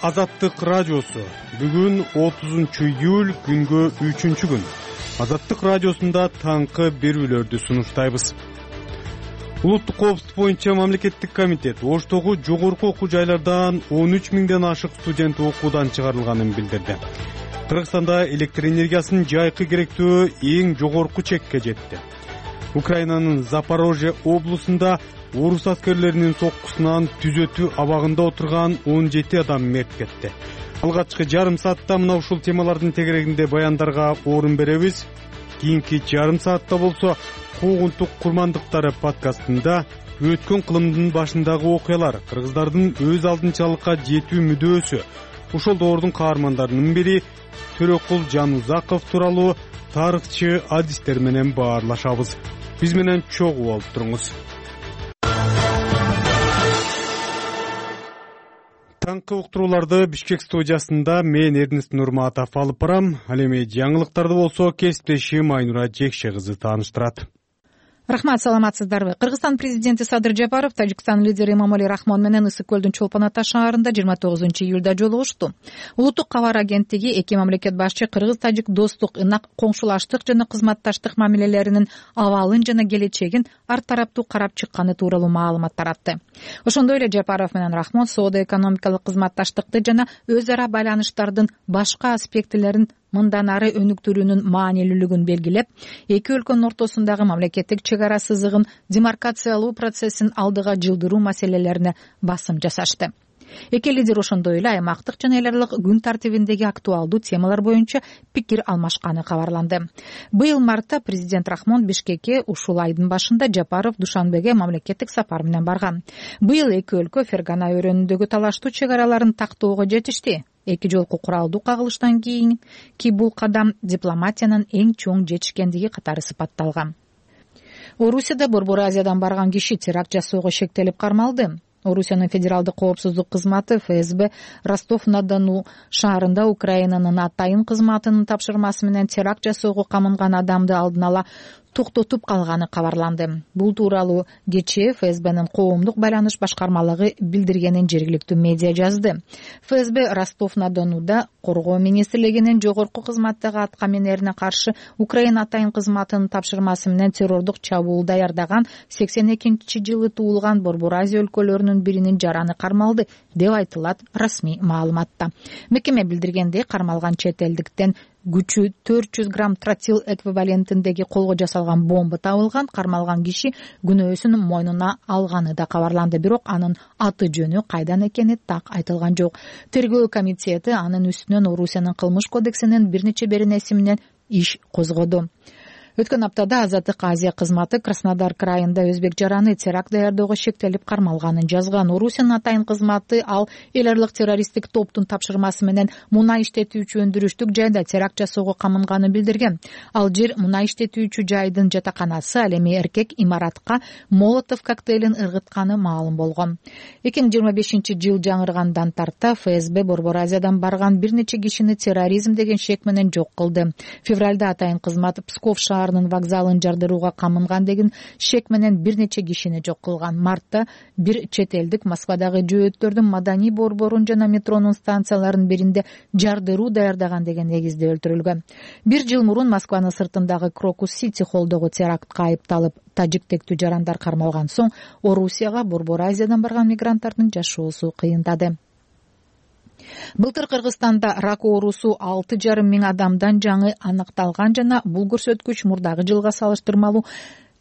Азаттык радиосу. Бүгүн 30-июль, күнгө 3-күн. Азаттык радиосунда таңкы берүүлөрдү сунуштайбыз. Улуттук коопсуздук боюнча мамлекеттик комитет Оштогу жогорку окуу жайлардан 13 миңден ашык студент окуудан чыгарылганын билдирди. Кыргызстанда электр энергиясынын жайкы керектөө эң жогорку чекке жетти. Украинанын Запорожье облусунда орус аскерлеринин соккусунан түзөтүү абагында отурган 17 адам мерт кетти. Алгачкы жарым саатта мына ушул темалардын тегерегинде баяндарга орун беребиз. Кийинки жарым саатта болсо куугунтук курмандыктары подкастында өткөн кылымдын башындагы окуялар, кыргыздардын өз алдынчалыкка жетүү мүдөөсү, ошол доордун каармандарынын бири Төрөкул Жанузаков тууралуу тарыхчы адистер менен баарлашабыз. Биз менен чогуу болуп туруңуз. Таңкы уктурууларды Бишкек студиясында мен Эрнест Нурматов алып барам. Ал эми жаңылыктарды болсо кесиптешим Айнура Жекше кызы тааныштырат. Рахмат, саламатсыздарбы? Кыргызстан президенти Садыр Жапаров Тажикстан лидери Эмомали Рахмон менен Ысык көлдүн Чолпон Ата шаарында 29-июлда жолугушту. Улуттук кабар агенттиги эки мамлекет башчы кыргыз-тажик достук, ынак коңшулаштык жана кызматташтык мамилелеринин абалын жана келечегин ар тараптуу карап чыкканы тууралуу маалымат таратты. Ошондой эле Жапаров менен Рахмон соода-экономикалык кызматташтыкты жана өз ара байланыштардын башка аспектилерин мындан ары өнүктүрүүнүн маанилүүлүгүн белгилеп, эки өлкөнүн ортосундагы мамлекеттик чек ара сызыгын демаркациялоо процессин алдыга жылдыруу маселелерине басым жасашты. Эки лидер ошондой эле аймактык жана эл аралык күн тартибиндеги актуалдуу темалар боюнча пикир алмашканы кабарланды. Быйыл мартта президент Рахмон Бишкекке ушул айдын башында Жапаров Душанбеге мамлекеттик сапар менен барган. Быйыл эки өлкө Фергана өрөөнүндөгү талаштуу чек араларын тактоого жетишти. Эки жолку куралдуу кагылыштан кийинки бул кадам дипломатиянын эң чоң жетишкендиги катары сыпатталган. Орусияда Борбор Азиядан барган киши теракт жасоого шектелип кармалды. Орусиянын федералдык коопсуздук кызматы ФСБ Ростов-на-Дону шаарында Украинанын атайын кызматынын тапшырмасы менен теракт жасоого камынган адамды алдын ала токтотуп калганы кабарланды. Бул тууралуу кечээ ФСБнын коомдук байланыш башкармалыгы билдиргенин жергиликтүү медиа жазды. ФСБ Ростов-на-Донуда коргоо министрлигинин жогорку кызматтагы аткаминерине каршы Украина атайын кызматынын тапшырмасы менен террордук чабуул даярдаган 82-жылы туулган Борбор Азия өлкөлөрүнүн биринин жараны кармалды деп айтылат расмий маалыматта. Мекеме билдиргендей, кармалган чет элдиктен күчү 400 грамм тротил эквивалентиндеги колго жасалган бомба табылган. Кармалган киши күнөөсүн мойнуна алганы да кабарланды, бирок анын аты жөнү кайдан экени так айтылган жок. Тергөө комитети анын үстүнөн Орусиянын кылмыш кодексинин бир нече беренеси менен иш козгоду. Өткөн аптада Азаттык Азия кызматы Краснодар крайында өзбек жараны теракт даярдоого шектелип кармалганын жазган. Орусиянын атайын кызматы ал эл аралык террористтик топтун тапшырмасы менен мунай иштетүүчү өндүрүштүк жайда теракт жасоого камынганы билдирген. Ал жер мунай иштетүүчү жайдын жатаканасы, ал эми эркек имаратка молотов коктейлин ыргытканы маалым болгон. 2025-жыл жаңыргандан тарта ФСБ Борбор Азиядан барган бир нече кишини терроризм деген шек менен жок кылды. Февралда атайын кызмат Псков шаарынын вокзалын жардырууга камынган деген шек менен бир нече кишини жок кылган. Мартта бир чет элдик Москвадагы жөөттөрдүн Маданий борборун жана метронун станцияларынын биринде жардыруу даярдаган деген негизде өлтүрүлгөн. Бир жыл мурун Москванын сыртындагы Крокус Сити холдогу терактка айыпталып тажик тектүү жарандар кармалган соң Орусияга Борбор Азиядан барган мигранттардын жашоосу кыйындады. Былтыр Кыргызстанда рак оорусу 6,5 миң адамдан жаңы аныкталган жана бул көрсөткүч мурдагы жылга салыштырмалуу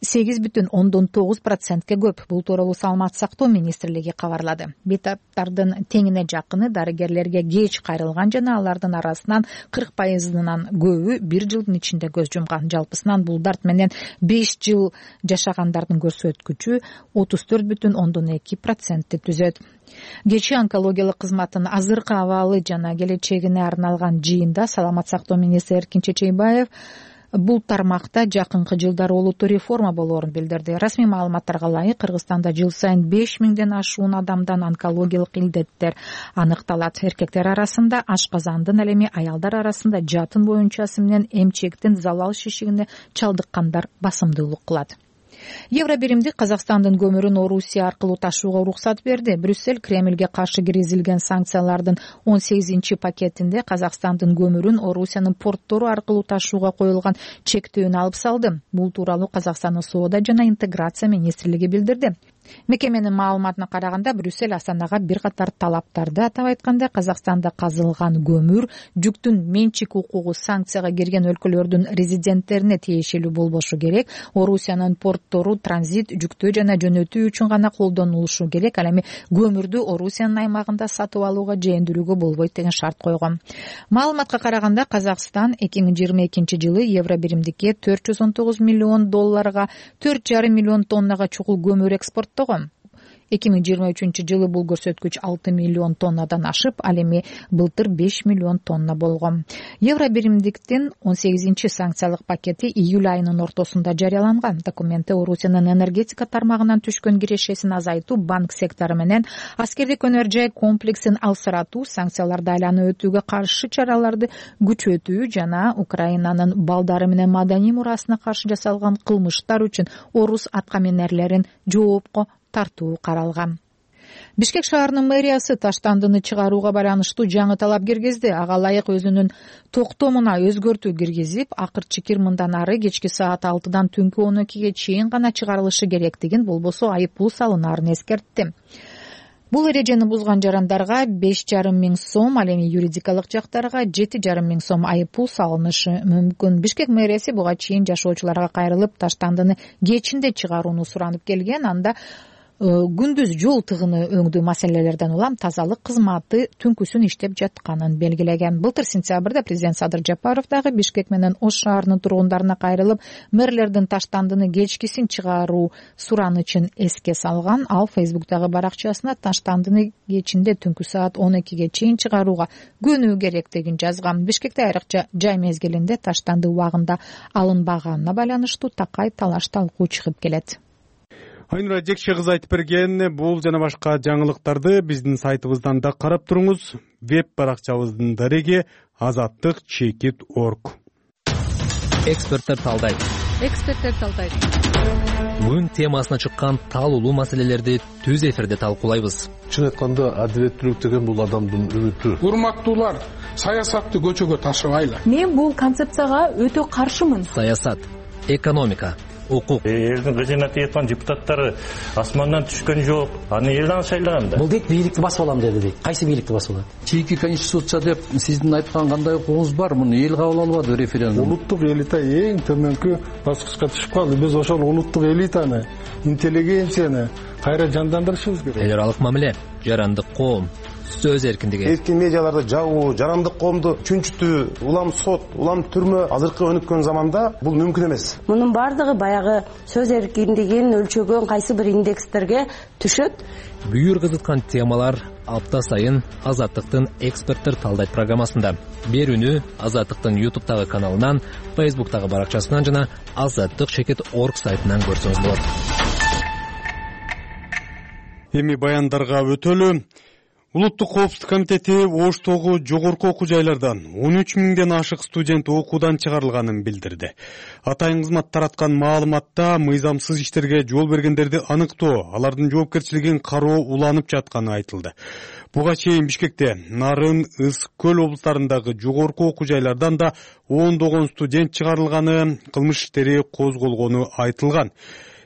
8,9%ке көп. Бул тууралуу Саламаттык сактоо министрлиги кабарлады. Бейтаптардын теңине жакыны дарыгерлерге кеч кайрылган жана алардын арасынан 40%-нан көбү бир жылдын ичинде көз жумган. Жалпысынан бул дарт менен 5 жыл жашагандардын көрсөткүчү 34,2%-ти түзөт. Кечээ онкологиялык кызматтын азыркы абалы жана келечегине арналган жыйында Саламаттык сактоо министри Эркин Чечейбаев бул тармакта жакынкы жылдары олуттуу реформа болоорун билдирди. Расмий маалыматтарга ылайык, Кыргызстанда жыл сайын 5 миңден ашуун адамдан онкологиялык илдеттер аныкталат. Эркектер арасында ашказандын, ал эми аялдар арасында жатын боюнчасы менен эмчектин залал шишигине чалдыккандар басымдуулук кылат. Евробиримдик Казакстандын көмүрүн Орусия аркылуу ташууга уруксат берди. Брюссель Кремльге каршы киргизилген санкциялардын 18-пакетинде Казакстандын көмүрүн Орусиянын порттору аркылуу ташууга коюлган чектөөнү алып салды. Бул тууралуу Казакстандын соода жана интеграция министрлиги билдирди. Мекеменин маалыматына караганда, Брюссель Астанага бир катар талаптарды атап айтканда, Казакстанда казылган көмүр жүктүн менчик укугу санкцияга кирген өлкөлөрдүн резиденттерине тиешелүү болбошу керек, Орусиянын порттору транзит, жүктөө жана жөнөтүү үчүн гана колдонулушу керек, ал эми көмүрдү Орусиянын аймагында сатып алууга же өндүрүүгө болбойт деген шарт койгон. Маалыматка караганда, Казакстан 2022-жылы Евробиримдикке $419 миллион 4,5 миллион тоннага чукул көмүр экспорттогон. 2023-жылы бул көрсөткүч 6 миллион тоннадан ашып, ал эми былтыр 5 миллион тонна болгон. Евробиримдиктин 18-санкциялык пакети июль айынын ортосунда жарыяланган. Документте Орусиянын энергетика тармагынан түшкөн кирешесин азайтуу, банк сектору менен аскердик өнөр жай комплексин алсыратуу, санкцияларды айланып өтүүгө каршы чараларды күчөтүү жана Украинанын балдары менен маданий мурасына каршы жасалган кылмыштар үчүн орус аткаминерлерин жоопко тартуу каралган. Бишкек шаарынын мэриясы Таштандыны чыгарууга байланыштуу жаңы талап киргизди. Ага ылайык өзүнүн токтомуна өзгөртүү киргизип, акыр чекир мындан ары кечки саат 6-дан түнкү 12-ге чейин гана чыгарылышы керектигин, болбосо айып пул салынаарын эскертти. Бул эрежени бузган жарандарга 5,5 миң сом, ал эми юридикалык жактарга 7,5 миң сом айып пул салынышы мүмкүн. Бишкек мэриясы буга чейин жашоочуларга кайрылып, Таштандыны кечинде чыгарууну суранып келген. Анда күндүз жол тыгыны өңдүү маселелерден улам тазалык кызматы түнкүсүн иштеп жатканын белгилеген. Былтыр сентябрда президент Садыр Жапаров дагы Бишкек менен Ош шаарынын тургундарына кайрылып, мэрлердин Таштандыны кечкисин чыгаруу суранычын эске салган. Ал Фейсбуктагы баракчасына Таштандыны кечинде түнкү саат 12-ге чейин чыгарууга көнүү керектигин жазган. Бишкекте айрыкча жай мезгилинде Таштанды убагында алынбаганына байланыштуу такай талаш талкуу чыгып келет. Айнура Жекше кызы айтып берген бул жана башка жаңылыктарды биздин сайтыбыздан да карап туруңуз. Веб баракчабыздын дареги azattik.org. Эксперттер талдайт. Күн темасына чыккан талуулуу маселелерди түз эфирде талкуулайбыз. Чын айтканда, адилеттүүлүк деген бул адамдын үмүтү. Урматтуулар, саясатты көчөгө ташыбайлы. Мен бул концепцияга өтө каршымын. Саясат, экономика, укук. Элдин кызмат эткан депутаттары асмандан түшкөн жок. Аны элден шайлаган да. Бул дейт бийликти басып алам деди дейт. Кайсы бийликти басып алат? Чийки конституция деп сиздин айткан кандай укугуңуз бар? Муну эл кабыл албады референдум. Улуттук элита эң төмөнкү баскычка түшүп калды. Биз ошол улуттук элитаны, интеллигенцияны кайра жандандырышыбыз керек. Эл аралык мамиле, жарандык коом, сөз эркиндиги. Эркин медиаларды жабуу, жарандык коомду чүнчүтүү, улам сот, улам түрмө азыркы өнүккөн заманда бул мүмкүн эмес. Мунун бардыгы баягы сөз эркиндигин өлчөгөн кайсы бир индекстерге түшөт. Бүйүр кызыткан темалар апта сайын Азаттыктын эксперттер талдайт программасында. Берүүнү Азаттыктын YouTube'тагы каналынан, Facebook'тагы баракчасынан жана azattik.org сайтынан көрсөңүз болот. Эми баяндарга өтөлү. Улуттук коопсуздук комитети Оштогу жогорку окуу жайлардан 13 миңден ашык студент окуудан чыгарылганын билдирди. Атайын кызмат тараткан маалыматта мыйзамсыз иштерге жол бергендерди аныктоо, алардын жоопкерчилигин кароо уланып жатканы айтылды. Буга чейин Бишкекте, Нарын, Ыс Көл облустарындагы жогорку окуу жайлардан да ондогон студент чыгарылганы, кылмыш иштери козголгону айтылган.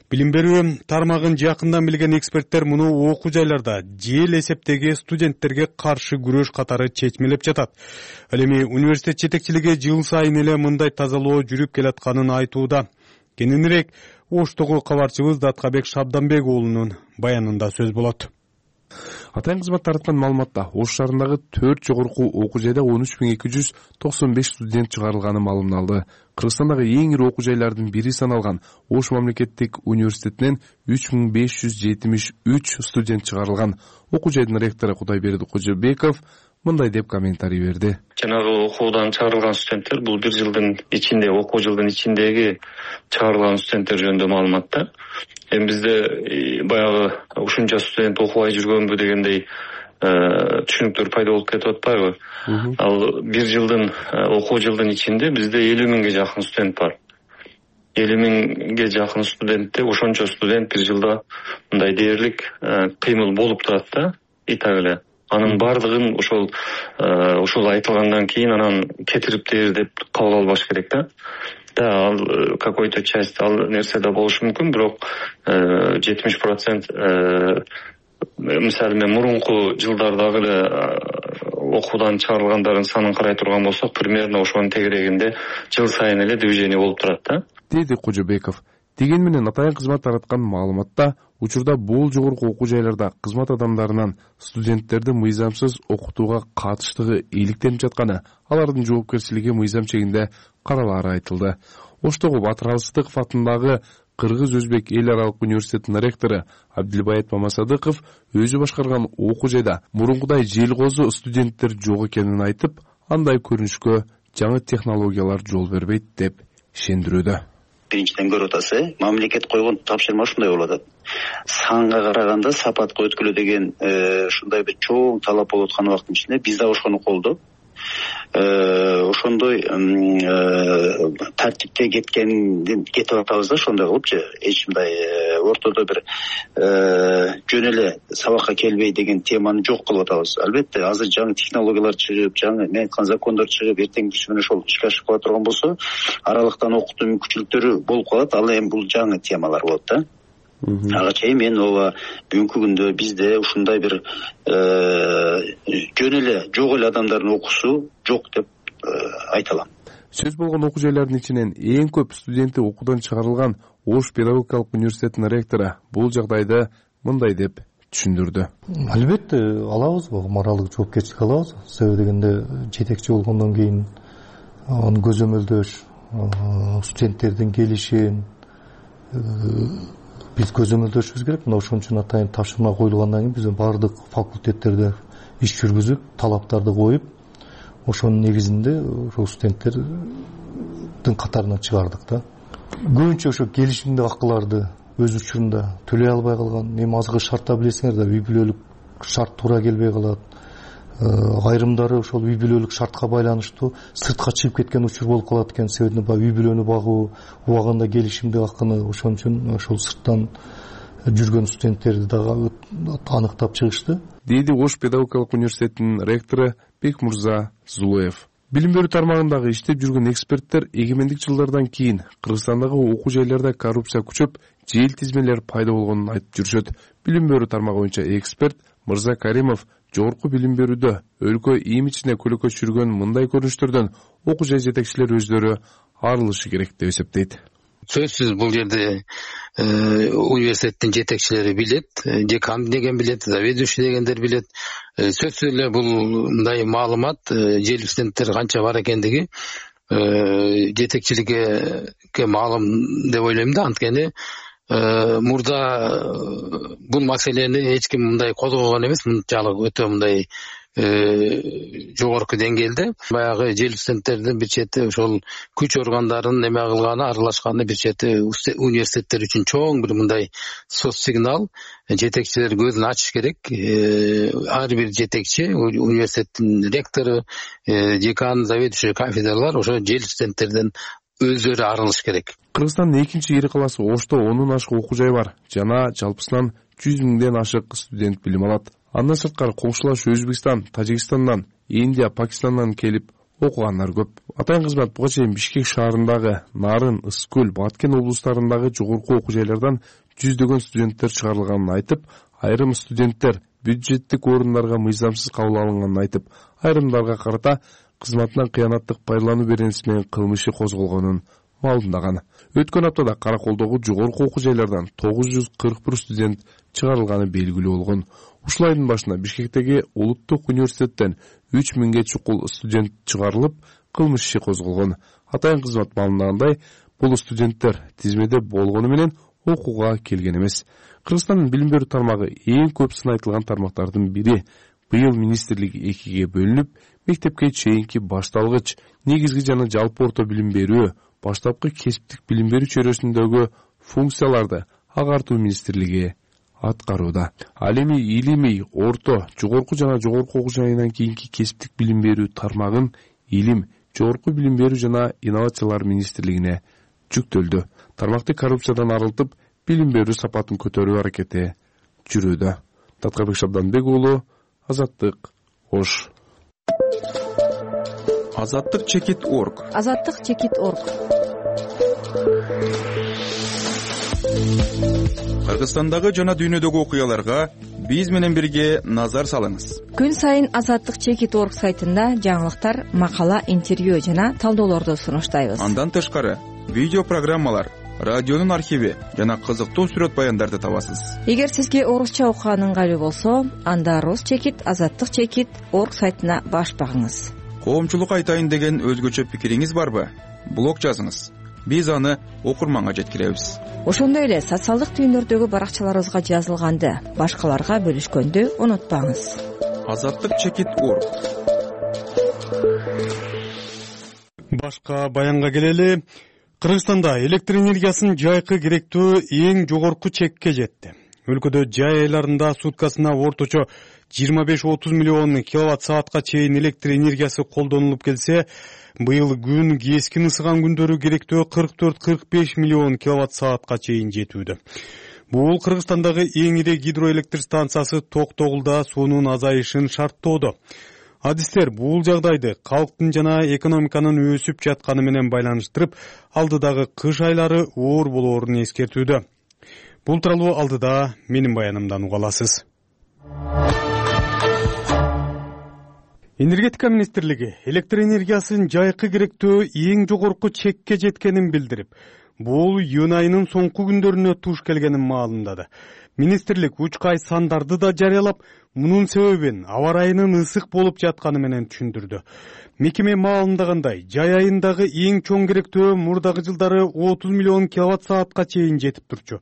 Билим берүү тармагын жакындан билген эксперттер муну окуу жайларда жел эсептеги студенттерге каршы күрөш катары чечмелеп жатат. Ал эми университет жетекчилиги жыл сайын эле мындай тазалоо жүрүп келатканын айтууда. Кененирээк Оштогу кабарчыбыз Даткабек Шабданбек уулунун баянында сөз болот. Атайын кызмат тараткан маалыматта Ош шаарындагы 4 жогорку окуу жайда 13.295 студент чыгарылганы маалымдалды. Кыргызстандагы эң ири окуу жайлардын бири саналган Ош мамлекеттик университетинен 3573 студент чыгарылган. Окуу жайдын ректору Кудайберди Кожобеков мындай деп комментарий берди. Жанагы окуудан чыгарылган студенттер бул бир жылдын ичинде, окуу жылдын ичиндеги чыгарылган студенттер жөнүндө маалыматта. Эми бизде баягы ушунча студент окубай жүргөнбү дегендей түшүнүктөр пайда болуп кетип атпайбы? Ал бир жылдын окуу жылдын ичинде бизде 50 миңге жакын студент бар. 50 миңге жакын студентте, ошончо студент бир жылда мындай дээрлик кыймыл болуп турат да, и так эле. Анын бардыгын ошол айтылгандан кийин анан кетириптир деп кабыл албаш керек да. Да, ал какой-то часть ал нерседе болушу мүмкүн, бирок 70% мисалы мен мурунку жылдардагы эле окуудан чыгарылгандардын санын карай турган болсок, примерно ошонун тегерегинде жыл сайын эле движение болуп турат да, деди Кожобеков. Деген менен атайын кызмат тараткан маалыматта учурда бул жогорку окуу жайларда кызмат адамдарынан студенттерди мыйзамсыз окутууга катыштыгы иликтенип жатканы, алардын жоопкерчилиги мыйзам чегинде каралаары айтылды. Оштогу Батыр Алыстыков атындагы Кыргыз-Өзбек эл аралык университетинин ректору Абдилбаят Мамасадыков өзү башкарган окуу жайда мурункудай желкозу студенттер жок экенин айтып, андай көрүнүшкө жаңы технологиялар жол бербейт деп ишендирүүдө. Биринчиден көрүп атасы, мамлекет койгон тапшырма ушундай болуп атат. Санга караганда сапатка өткүлө деген ушундай бир чоң талап болуп аткан убакыттын ичинде биз да ошону колдоп, ошондой тартипте кетип атабыз да, ошондой кылыпчы. Эч мындай ортодо бир жөн эле сабакка келбей деген теманы жок кылып атабыз. Албетте азыр жаңы технологиялар чыгып, жаңы мен айткан закондор чыгып, эртеңгүсү менен ошол ишке ашып кала турган болсо, аралыктан окутуу мүмкүнчүлүктөрү болуп калат. Ал эми бул жаңы темалар болот да. Ага чейин мен ооба бүгүнкү күндө бизде ушундай бир жөн эле жок эле адамдардын окуусу жок деп айта алам. Сөз болгон окуу жайлардын ичинен эң көп студенти окуудан чыгарылган Ош педагогикалык университетинин ректору бул жагдайды мындай деп түшүндүрдү. Албетте алабыз, моралдык жоопкерчилик алабыз. Себеби дегенде жетекчи болгондон кийин аны көзөмөлдөш, студенттердин келишин биз көзөмөлдөшүбүз керек. Мына ошон үчүн атайын тапшырма коюлгандан кийин биз баардык факультеттерде иш жүргүзүп, талаптарды коюп, ошонун негизинде ошол студенттердин катарынан чыгардык да. Көбүнчө ошо келишимдик акыларды өз учурунда төлөй албай калган, эми азыркы шартта билесиңер да, үй бүлөлүк шарт туура келбей калат. Айрымдары ошол үй бүлөлүк шартка байланыштуу сыртка чыгып кеткен учур болуп калат экен. Себеби үй бүлөнү багуу, убагында келишимдик акыны, ошон үчүн ошол сырттан жүргөн студенттерди дагы аныктап чыгышты, дейди Ош педагогикалык университетинин ректору Бекмурза Зулуев. Билим берүү тармагындагы иштеп жүргөн эксперттер эгемендик жылдардан кийин Кыргызстандагы окуу жайларда коррупция күчөп, жел тизмелер пайда болгонун айтып жүрүшөт. Билим берүү тармагы боюнча эксперт Мырза Каримов жогорку билим берүүдө өлкө имиджине көлөкө түшүргөн мындай көрүнүштөрдөн окуу жай жетекчилери өздөрү арылышы керек деп эсептейт. Сөзсүз бул жерде университеттин жетекчилери билет, декан деген билет, заведующий дегендер билет. Сөзсүз эле бул мындай маалымат жел студенттер канча бар экендиги жетекчиликке маалым деп ойлойм да. Анткени мурда бул маселени эч ким мындай козгогон эмес, мынчалык өтө мындай жогорку деңгээлде. Баягы жел студенттердин бир чети ошол күч органдарынын эме кылганы, аралашканы бир чети университеттер үчүн чоң бир мындай соц сигнал. Жетекчилер көзүн ачыш керек. Ар бир жетекчи, университеттин ректору, декан, заведующий кафедралар ошо жел студенттерден өздөрү арылыш керек. Кыргызстандын экинчи ири калаасы Ошто 10 ашык окуу жай бар. Жана жалпысынан 100 миңден ашык студент билим алат. Андан сырткары коңшулаш Өзбекстан, Тажикстандан, Индия, Пакистандан келип окугандар көп. Атайын кызмат буга чейин Бишкек шаарындагы, Нарын, Ысык көл, Баткен облустарындагы жогорку окуу жайлардан жүздөгөн студенттер чыгарылганын айтып, айрым студенттер бюджеттик орундарга мыйзамсыз кабыл алынганын айтып, айрымдарга карата кызматынан кыянаттык пайдалануу беренеси менен кылмыш иши козголгонун маалымдаган. Өткөн аптада Караколдогу жогорку окуу жайлардан 941 студент чыгарылганы белгилүү болгон. Ушул айдын башында Бишкектеги улуттук университеттен 3000ге чукул студент чыгарылып, кылмыш иши козголгон. Атайын кызмат маалымдагандай, бул студенттер тизмеде болгону менен окууга келген эмес. Кыргызстандын билим берүү тармагы эң көп сынайтылган тармактардын бири. Быйыл министрлик экиге бөлүнүп, мектепке чейинки башталгыч, негизги жана жалпы орто билим берүү, баштапкы кесиптик билим берүү чөйрөсүндөгү функцияларды агартуу министрлиги аткарууда. Ал эми илимий, орто, жогорку жана жогорку окуу жайынан кийинки кесиптик билим берүү тармагын Илим, жогорку билим берүү жана инновациялар министрлигине жүктөлдү. Тармакты коррупциядан арылтып, билим берүү сапатын көтөрүү аракети жүрүүдө. Таткарбек Шабданбек уулу, Азаттык, Ош. Азаттык чекит.org. Азаттык чекит.org. Кыргызстандагы жана дүйнөдөгү окуяларга биз менен бирге назар салыңыз. Күн сайын Азаттык чекит.org сайтында жаңылыктар, макала, интервью жана талдоолорду сунуштайбыз. Андан тышкары видео программалар, радионун архиви жана кызыктуу сүрөт баяндарды табасыз. Эгер сизге орусча окуган ыңгайлуу болсо, анда Рус чекит, Азаттык чекит.org сайтына баш багыңыз. Коомчулук айтайын деген өзгөчө пикириңиз барбы? Блог жазыңыз. Биз аны окурманга жеткиребиз. Ошондой эле социалдык түйүндөрдөгү баракчаларыбызга жазылганды башкаларга бөлүшкөндү унутпаңыз. Азаттык чекит.org. Башка баянга келели. Кыргызстанда электр энергиясын жайкы керектөө эң жогорку чекке жетти. Өлкөдө жай айларында суткасына орточо 25-30 миллион киловатт саатка чейин электр энергиясы колдонулуп келсе, быйыл күн кескин ысыган күндөрү керектөө 44-45 миллион киловатт саатка чейин жетүүдө. Бул Кыргызстандагы эң ири гидроэлектр станциясы Токтогулда суунун азайышын шарттоодо. Адистер бул жагдайды калктын жана экономиканын өсүп жатканы менен байланыштырып, алдыдагы кыш айлары оор болоорун эскертүүдө. Бул тууралуу алдыда менин баянымдан уга аласыз. Энергетика министрлиги электр энергиясын жайкы керектөө эң жогорку чекке жеткенин билдирип, бул июнь айынын соңку күндөрүнө туш келгенин маалымдады. Министрлик учкай сандарды да жарыялап, мунун себебин аба ырайынын ысык болуп жатканы менен түшүндүрдү. Мекеме маалымдагандай, жай айындагы эң чоң керектөө мурдагы жылдары 30 миллион киловатт саатка чейин жетип турчу.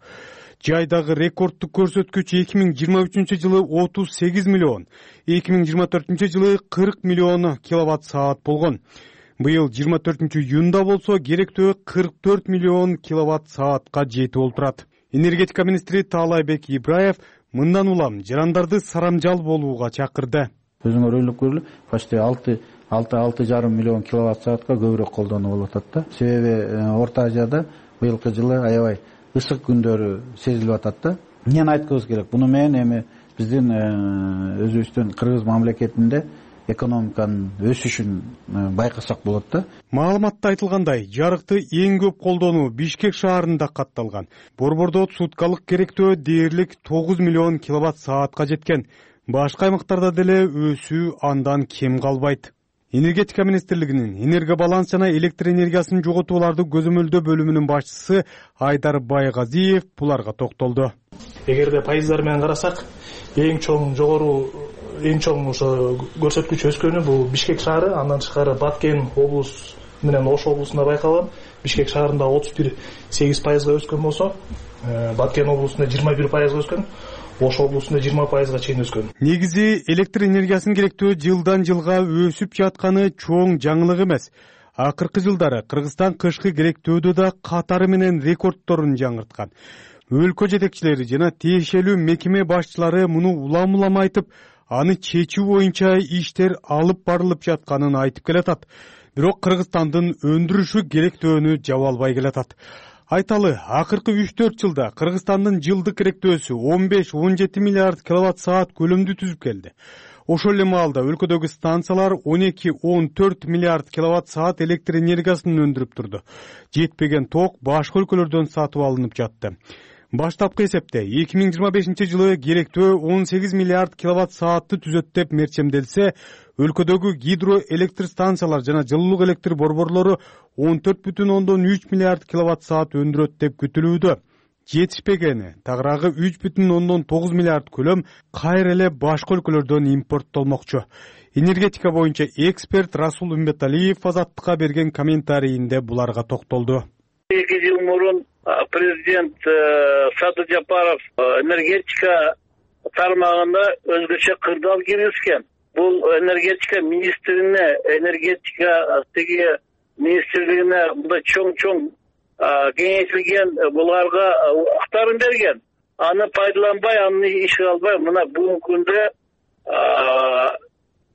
Жайдагы рекордтук көрсөткүч 2023 жылы 38 миллион, 2024 жылы 40 миллион киловатт саат болгон. Быйыл 24 июнда болсо керектөө 44 миллион киловатт саатка жетип олтурат. Энергетика министри Таалайбек Ибраев мындан улам жарандарды сарамжал болууга чакырды. Өзүңөр ойлоп көргүлө, почти 6,5 миллион киловатт саатка көбүрөөк колдонуу болуп атат да. Себеби Орто Азияда быйылкы жылы аябай ысык күндөрү сезилип атат да. Эмнени айткыбыз керек? Буну менен эми биздин өзүбүздүн Кыргыз мамлекетинде экономиканын өсүшүн байкасак болот да. Маалыматта айтылгандай, жарыкты эң көп колдонуу Бишкек шаарында катталган. Борбордо суткалык керектөө дээрлик 9 миллион киловатт саатка жеткен. Башка аймактарда деле өсүү андан кем калбайт. Энергетика министрлигинин энергобаланс жана электр энергиясын жоготууларды көзөмөлдөө бөлүмүнүн башчысы Айдар Байгазиев буларга токтолду. Эгерде пайыздар менен карасак, эң чоң ошо көрсөткүч өскөнү бул Бишкек шаары, андан тышкары Баткен облус менен Ош облусунда байкалган. Бишкек шаарында 31,8% өскөн болсо, Баткен облусунда 21% өскөн. Ош облусунда 20% чейин өскөн. Негизи электр энергиясын керектөө жылдан жылга өсүп жатканы чоң жаңылык эмес. Акыркы жылдары Кыргызстан кышкы керектөөдө да катары менен рекордторун жаңырткан. Өлкө жетекчилери жана тиешелүү мекеме башчылары муну улам айтып, аны чечүү боюнча иштер алып барылып жатканын айтып келатат. Бирок Кыргызстандын өндүрүшү керектөөнү жаба албай келатат. Айталы, акыркы 3-4 жылда Кыргызстандын жылдык керектөөсү 15-17 миллиард киловатт саат көлөмдү түзүп келди. Ошол эле маалда өлкөдөгү станциялар 12-14 миллиард киловатт саат электр энергиясын өндүрүп турду. Жетпеген ток башка өлкөлөрдөн сатып алынып жатты. Баштапкы эсепте 2025 жылы керектөө 18 миллиард киловатт саатты түзөт деп мерчемделсе, өлкөдөгү гидроэлектр станциялар жана жылуулук электр борборлору 14,3 миллиард киловатт саат өндүрөт деп күтүлүүдө. Жетишпегени, тагыраагы 3,9 миллиард көлөм кайра эле башка өлкөлөрдөн импорттолмокчу. Энергетика боюнча эксперт Расул Умбеталиев Азаттыкка берген комментарийинде буларга токтолду. 2 жыл мурун президент Садыр Жапаров энергетика тармагында өзгөчө кырдаал киргизген. Бул энергетика министрине, энергетика министрлигине мындай чоң кеңейтилген буларга укуктарын берген. Аны пайдаланбай, аны ишке албай, мына бүгүнкү күндө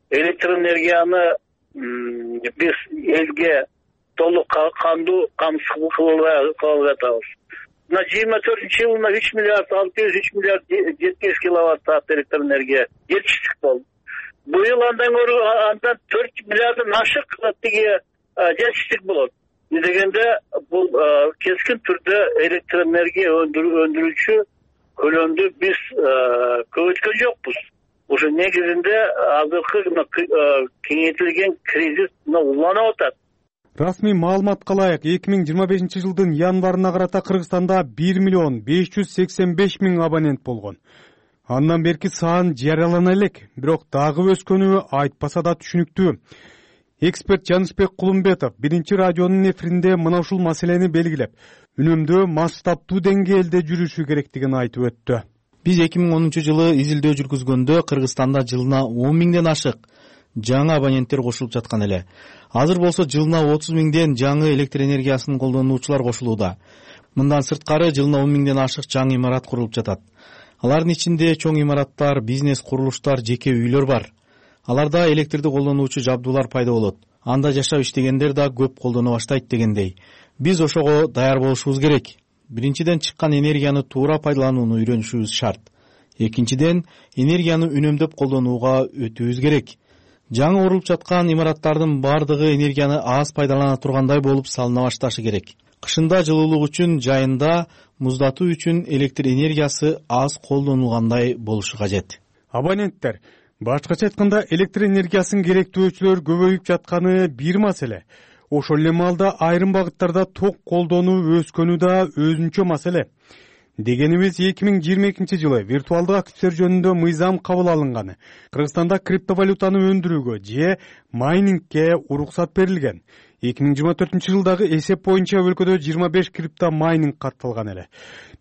электр энергияны биз элге толук кандуу камсыз кылып атабыз. Мына 24-жылына 3 миллиард 600 миллиард 70 киловатт саат электр энергия жетиштик болду. Быйыл андан 4 миллиарддан ашык тиги жетиштик болот. Дегенде бул кескин түрдө электр энергия өндүрүүчү көлөмдү биз көбөйткөн жокпуз. Ошо негизинде азыркы кеңейтилген кризис уланып атат. Расмий маалыматка ылайык 2025 жылдын январына карата Кыргызстанда 1 миллион 585 миң абонент болгон. Андан берки сан жарыялана элек, бирок дагы өскөнү айтпаса да түшүнүктүү. Эксперт Жанышбек Кулумбетов биринчи радионун эфиринде мына ушул маселени белгилеп, үнөмдөө масштабтуу деңгээлде жүрүшү керектигин айтып өттү. Биз 2010 жылы изилдөө жүргүзгөндө Кыргызстанда жылына 10 миңден ашык жаңы абоненттер кошулуп жаткан эле. Азыр болсо жылына 30 миңден жаңы электр энергиясын колдонуучулар кошулууда. Мындан сырткары жылына 10 миңден ашык жаңы имарат курулуп жатат. Алардын ичинде чоң имараттар, бизнес курулуштар, жеке үйлөр бар. Аларда электрди колдонуучу жабдуулар пайда болот. Анда жашап иштегендер да көп колдоно баштайт дегендей. Биз ошого даяр болушубуз керек. Биринчиден чыккан энергияны туура пайдаланууну үйрөнүшүбүз шарт. Экинчиден энергияны үнөмдөп колдонууга өтүүбүз керек. Жаңы курулуп жаткан имараттардын бардыгы энергияны аз пайдалана тургандай болуп салына башташы керек. Кышында жылуулук үчүн, жайында муздатуу үчүн электр энергиясы аз колдонулгандай болушу кажет. Абоненттер, башкача айтканда электр энергиясын керектөөчүлөр көбөйүп жатканы бир маселе. Ошол эле маалда айрым багыттарда ток колдонуу өскөнү да өзүнчө маселе. Дегенибиз 2022 жылы виртуалдык активдер жөнүндө мыйзам кабыл алынганы. Кыргызстанда криптовалютаны өндүрүүгө же майнингке уруксат берилген. 2024 жылдагы эсеп боюнча өлкөдө 25 крипто майнинг катталган эле.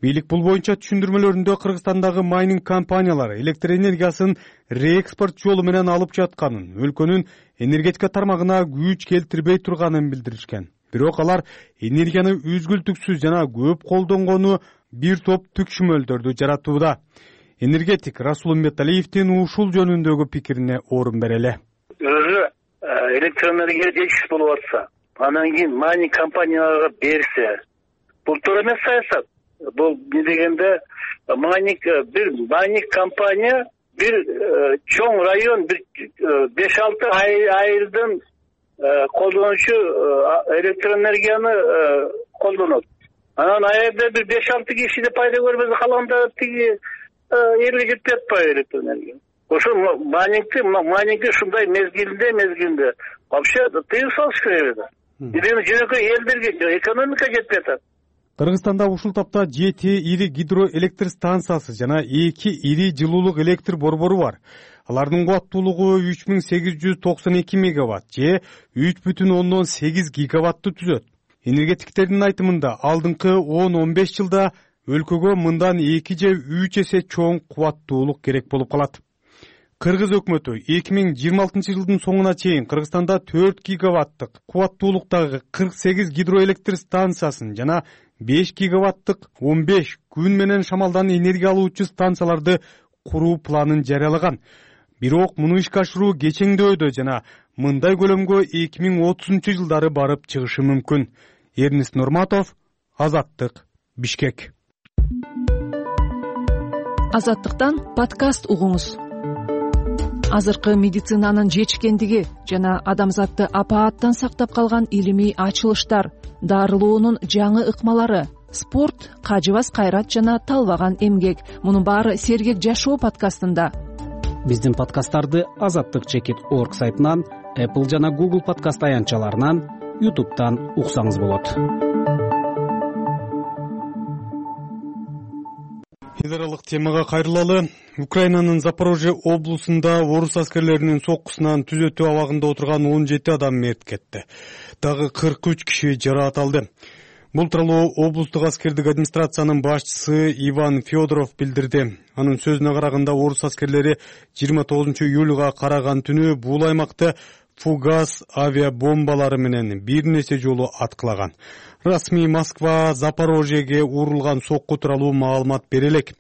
Бийлик бул боюнча түшүндүрмөлөрүндө Кыргызстандагы майнинг компаниялары электр энергиясын реэкспорт жолу менен алып жатканын, өлкөнүн энергетика тармагына күч келтирбей турганын билдиришкен. Бирок алар энергияны үзгүлтүксүз жана көп колдонгону бир топ түкшүмөлдөрдү жаратууда. Энергетик Расул Умбеталиевдин ушул жөнүндөгү пикирине орун берели. Өзү электр энергия жетишсиз болуп атса, анан кийин майнинг компанияларга берсе, бул туура эмес саясат. Бул не дегенде майнинг компания бир чоң район, бир 5-6 айылдын колдонуучу электр энергияны колдонот. Анан айылда бир 5-6 киши да пайда көрбөсө калганда тиги элге жетпей атпайбы электр энергия. Ошо майнингти ушундай мезгилинде вообще тыюу салыш керек эле. Биринен жөнөкөй элдерге экономика жетпей атат. Кыргызстанда ушул тапта 7 ири гидроэлектр станциясы жана 2 ири жылуулук электр борбору бар. Алардын кубаттуулугу 3892 мегаватт же 3,8 гигаваттты түзөт. Энергетиктердин айтымында алдыңкы 10-15 жылда өлкөгө мындан 2 же 3 эсе чоң кубаттуулук керек болуп калат. Кыргыз өкмөтү 2026 жылдын соңуна чейин Кыргызстанда 4 гигаваттык кубаттуулуктагы 48 гидроэлектр станциясын жана 5 гигаваттык 15 күн менен шамалдан энергия алуучу станцияларды куруу планын жарыялаган. Бирок муну ишке ашыруу кечеңдөөдө жана мындай көлөмгө 2030 жылдары барып чыгышы мүмкүн. Эрнис Нурматов, Азаттык, Бишкек. Азаттыктан подкаст угуңуз. Азыркы медицинанын жетишкендиги жана адамзатты апааттан сактап калган илимий ачылыштар, дарылоонун жаңы ыкмалары, спорт, кажыбас кайрат жана талбаган эмгек. Мунун баары Сергек жашоо подкастында. Биздин подкасттарды azattik.org сайтынан, Apple жана Google подкаст аянтчаларынан, YouTube'дан уксаңыз болот. Эл аралык темага кайрылалы. Украинанын Запорожье облусунда орус аскерлеринин соккусунан түзөтүү абагында отурган 17 адам мерт кетти. Дагы 43 киши жараат алды. Бул тууралуу облустук аскердик администрациянын башчысы Иван Федоров билдирди. Анын сөзүнө караганда орус аскерлери 29 июлга караган түнү бул аймакты фугас авиабомбалары менен бир нече жолу аткылаган. Расмий Москва Запорожьеге урулган сокку тууралуу маалымат бере элек.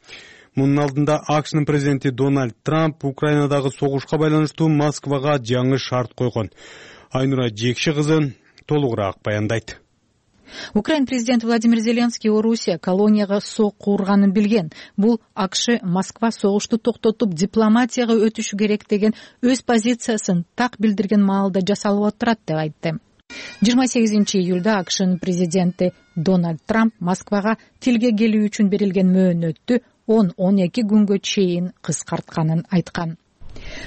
Мунун алдында АКШнын президенти Дональд Трамп Украинадагы согушка байланыштуу Москвага жаңы шарт койгон. Айнура Жекши кызы толугураак баяндайт. Украин президенти Владимир Зеленский Орусия колонияга сокку урганын билген. Бул АКШ Москва согушту токтотуп дипломатияга өтүшү керек деген өз позициясын так билдирген маалда жасалып отурат деп айтты. 28-июлда АКШнын президенти Дональд Трамп Москвага тилге келүү үчүн берилген мөөнөттү 10-12 күнгө чейин кыскартканын айткан.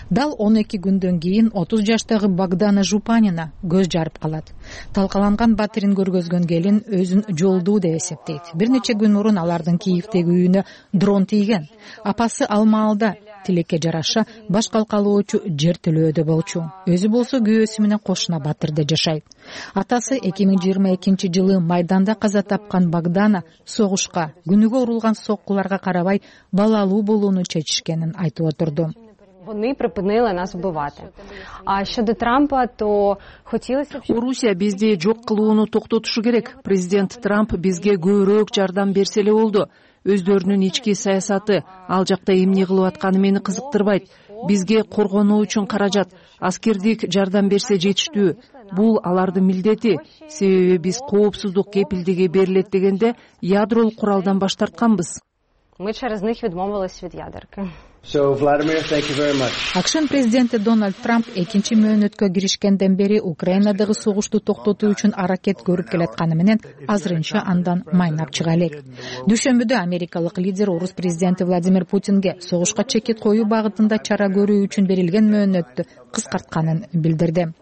Дал 12 күндөн кийин 30 жаштагы Богдана Жупанина көз жарып калат. Талкаланган батирин көргөзгөн келин өзүн жолдуу деп эсептейт. Бир нече күн мурун алардын Киевдеги үйүнө дрон тийген. Апасы ал маалда тилекке жараша баш калкалоочу жер төлөөдө болчу. Өзү болсо күйөөсү менен кошуна Батырда жашайт. Атасы 2022-жылы майданда каза тапкан Богдана согушка, күнүгө урулган соккуларга карабай балалуу болууну чечишкенин айтып отурду. Вони припинили нас вбивати. А щодо Трампа, то хотілося б... Орусия бизди жок кылууну токтотушу керек. Президент Трамп бизге көбүрөөк жардам берсе эле болду. Өздөрүнүн ички саясаты, ал жакта эмне кылып атканы мени кызыктырбайт. Бизге коргонуу үчүн каражат, аскердик жардам берсе жетиштүү. Бул алардын милдети. Себеби биз коопсуздук кепилдиги берилет дегенде ядролук куралдан баш тартканбыз. Ми через них відмовились від ядерки. АКШнын президенти Дональд Трамп экинчи мөөнөткө киришкенден бери Украинадагы согушту токтотуу үчүн аракет көрүп келатканы менен азырынча андан майнап чыга элек. Дүйшөмбүдө америкалык лидер орус президенти Владимир Путинге согушка чекит коюу багытында чара көрүү үчүн берилген мөөнөттү кыскартканын билдирди.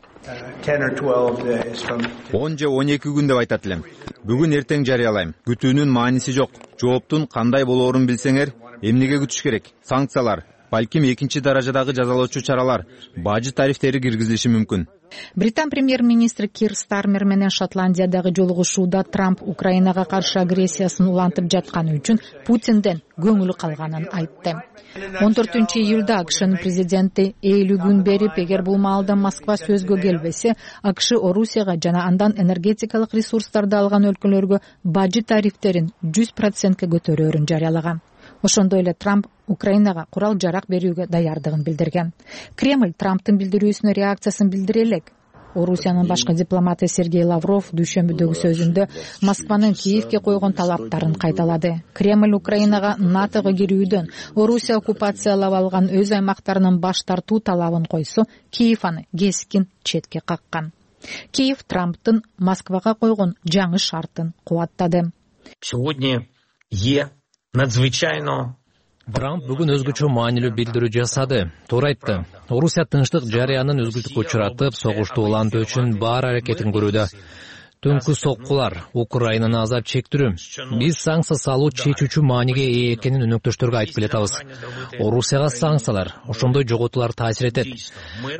10 же 12 күн деп айтат элем. Бүгүн эртең жарыялайм. Күтүүнүн мааниси жок. Жооптун кандай болоорун билсеңер, эмнеге күтүш керек? Санкциялар, балким экинчи даражадагы жазалоочу чаралар, бажы тарифтери киргизилиши мүмкүн. Британ премьер-министри Кир Стармер менен Шотландиядагы жолугушууда Трамп Украинага каршы агрессиясын улантып жатканы үчүн Путинден көңүлү калганын айтты. 14-июлда АКШнын президенти 50 күн берип, эгер бул маалда Москва сөзгө келбесе, АКШ Орусияга жана андан энергетикалык ресурстарды алган өлкөлөргө бажы тарифтерин 100%ке көтөрөөрүн жарыялаган. Ошондой эле Трамп Украинага курал жарак берүүгө даярдыгын билдирген. Кремль Трамптын билдирүүсүнө реакциясын билдире элек. Орусиянын башкы дипломаты Сергей Лавров дүйшөмбүдөгү сөзүндө Москванын Киевге койгон талаптарын кайталады. Кремль Украинага НАТОго кирүүдөн, Орусия оккупациялап алган өз аймактарынын баш тартуу талабын койсо, Киев аны кескин четке каккан. Киев Трамптын Москвага койгон жаңы шартын кубаттады. Сегодня надзвычайно Трамп бүгүн өзгөчө маанилүү билдирүү жасады. Туура айтты. Орусия тынчтык жарыянын өзгүлтүккө учуратып, согушту улантуу үчүн бар аракетин көрүүдө. Түнкү соккулар Украинаны азап чектирүү. Биз санкция салуу чечүүчү мааниге ээ экенин өнөктөштөргө айтып келатабыз. Орусияга санкциялар, ошондой жоготуулар таасир этет.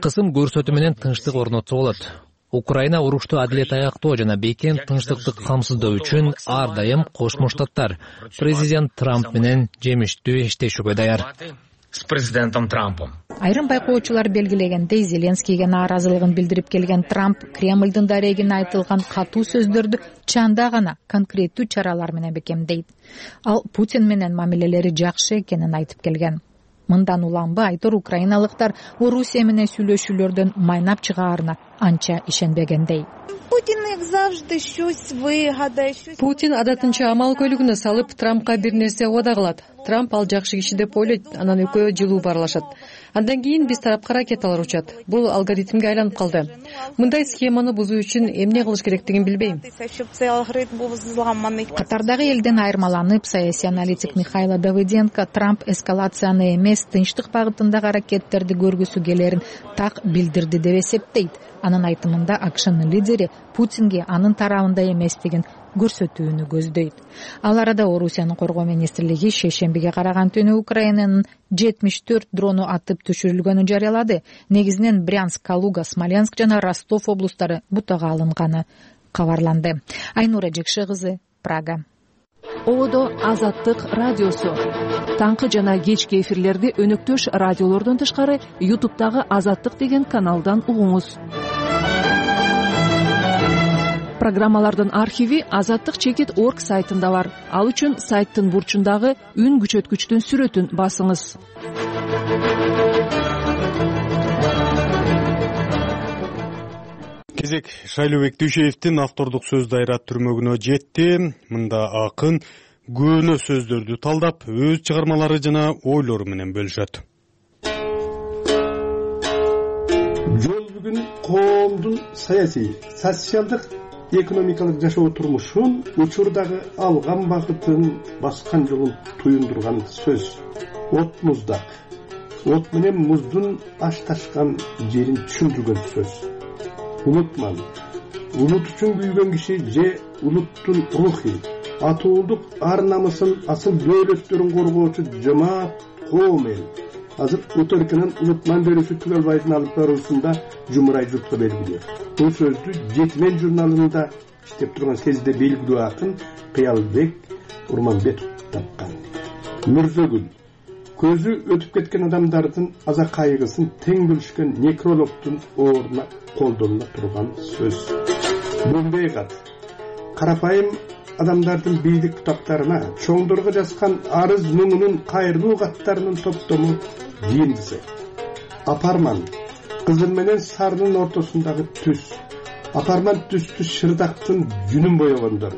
Кысым көрсөтүү менен тынчтык орнотсо болот. Украина урушту адилет аяктоо жана бекем тынчтыкты камсыздоо үчүн ар дайым Кошмо Штаттар президент Трамп менен жемиштүү иштешүүгө даяр. С президентом Трампом. Айрым байкоочулар белгилегендей, Зеленскийге нааразылыгын билдирип келген Трамп Кремлдин дарегине айтылган катуу сөздөрдү чанда гана конкреттүү чаралар менен бекемдейт. Ал Путин менен мамилелери жакшы экенин айтып келген. Мындан уланбы айтор украиналыктар Орусия менен сүйлөшүүлөрдөн майнап чыгаарына анча ишенбегендей. Путин адатынча амал көлүгүнө салып Трампка бир нерсе убада кылат. Трамп ал жакшы киши деп ойлойт, анан экөө жылуу баарлашат. Андан кийин биз тарапка ракеталар учат. Бул алгоритмге айланып калды. Мындай схеманы бузуу үчүн эмне кылыш керектигин билбейм. Катардагы элден айырмаланып, саясий аналитик Михайло Давыденко Трамп эскалацияны эмес, тынчтык багытындагы аракеттерди көргүсү келерин так билдирди деп эсептейт. Анын айтымында АКШнын лидери Путинге анын тарабында эместигин көрсөтүүнү көздөйт. Ал арада Орусиянын коргоо министрлиги шейшембиге караган түнү Украинанын 74 дрону атып түшүрүлгөнүн жарыялады. Негизинен Брянск, Калуга, Смоленск жана Ростов облустары бутага алынганы кабарланды. Айнура Жекше кызы, Прага. Одо Азаттык радиосу. Таңкы жана кечки эфирлерди өнөктөш радиолордон тышкары YouTube'дагы Азаттык деген каналдан угуңуз. Программалардын архиви azattik.org сайтында бар. Ал үчүн сайттын бурчундагы үн күчөткүчтүн сүрөтүн басыңыз. кезек Шайлообек Дүйшеевдин автордук сөз дайра түрмөгүнө жетти. Мында акын көөнө сөздөрдү талдап, өз чыгармалары жана ойлору менен бөлүшөт. Жол бүгүн коомдун саясий, социалдык, экономикалык жашоо турмушун, учурдагы алган багытын, баскан жолун туюндурган сөз. От муздак. От менен муздун ашташкан жерин түшүндүргөн сөз. Улутман. Улут үчүн күйгөн киши же улуттун рухи, атуулук ар намысын, асыл дөөлөттөрүн коргоочу жамаат коом эл. Азыр Утурканын улутман берүүсү түгөлбайдын алып баруусунда жумурай журтка белгилүү. Бул сөздү Жетимен журналында иштеп турган кезде белгилүү акын Кыялбек Урманбетов тапкан. Мүрзөгүл. Көзү өтүп кеткен адамдардын аза кайгысын тең бөлүшкөн некрологдун ордуна колдонула турган сөз. Бомбей кат. Карапайым адамдардын бийлик китаптарына чоңдорго жазган арыз муңунун кайрылуу каттарынын топтому жыйындысы. Апарман. Кызыл менен сарынын ортосундагы түс. Апарман түстү шырдактын жүнүн боёгондор.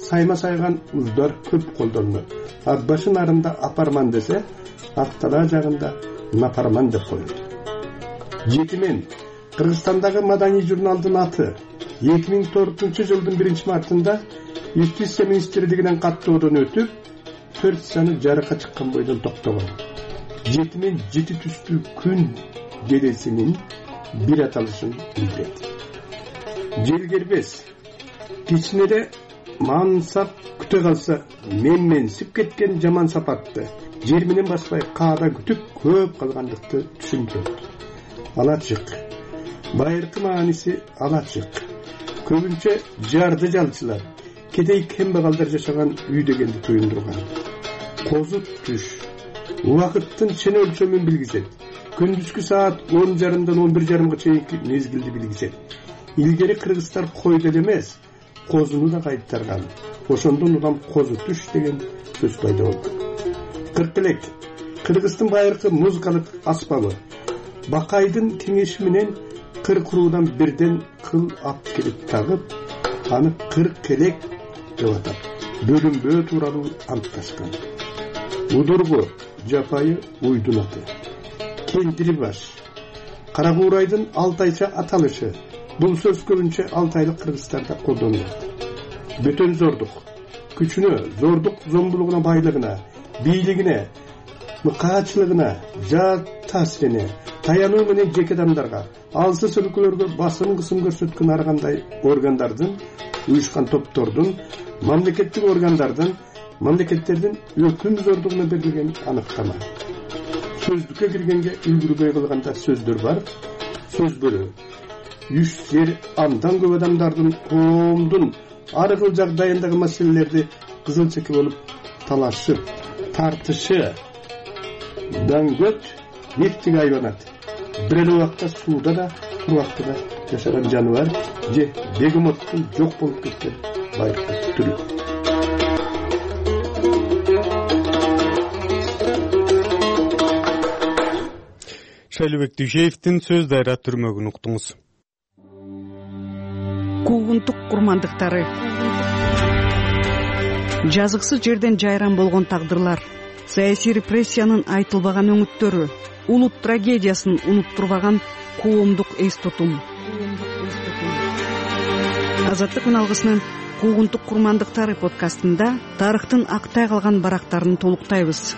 Сайма сайган уздар көп колдонулат. Башын арында апарман десе, Актала жагында напарман деп коет. Жетимен. Кыргызстандагы маданий журналдын аты 2004-жылдын 1-мартында Юстиция министрлигинен каттоодон өтүп, 4 саны жарыкка чыккан бойдон токтогон. Жетимен жети түстүү күн делесинин бир аталышын билдирет. Желгербес. Кичинеде мансап күтө калса, менменсип кеткен жаман сапатты жер менен баспай каада күтүп көп калгандыкты түшүндүрөт. Алачык. Байыркы мааниси алачык. Көбүнчө жарды жалчылар, кедей кембагалдар жашаган үй дегенди туюндурган. Козу түш. Убакыттын чын өлчөмүн билгизет. Күндүзгү саат 10:30-дан 11:30 чейинки мезгилди билгизет. Илгери кыргыздар койду эмес, козуну да кайтарган. Ошондон улам козу түш деген сөз пайда болду. Кыркелек. Кыргыздын байыркы музыкалык аспабы. Бакайдын кеңеши менен кыркуруудан бирден кыл ап келип тагып, аны кыркелек деп атап, бөлүнбөө тууралуу антташкан. Удургу, жапайы уйдун аты. Кентири баш. Каракуурайдын алтайча аталышы. Бул сөз көбүнчө алтайлык кыргыздарда колдонулат. Бөтөн зордук. Күчүнө, зордук зомбулугуна, байлыгына, бийлигине, мыкаачылыгына, жат таасирине, таянуу менен жеке адамдарга, алсыз өлкөлөргө басым кысым көрсөткөн ар кандай органдардын, уюшкан топтордун, мамлекеттик органдардын, мамлекеттердин өкүм зордугуна берилген аныктама. Сөздүккө киргенге үлгүрбөй калганда сөздөр бар. Сөз бөлүү. Үч жер андан көп адамдардын, коомдун ар кыл жагдайындагы маселелерди кызыл чеке болуп талашып, тартышы, даңгөт, нефтиге айланат. Бир эле убакта сууда да, кургакта да жашаган жаныбар же бегемоттун жок болуп кеткен байыркы түрү. Шайлообек Дүйшеевдин сөз дайра түрмөгүн уктуңуз. Куугунтук курмандыктары. Жазыксыз жерден жайран болгон тагдырлар, саясий репрессиянын айтылбаган өңүттөрү, улут трагедиясын унуттурбаган коомдук эс тутум. Азаттык үналгысынын Куугунтук курмандыктары подкастында тарыхтын актай калган барактарын толуктайбыз.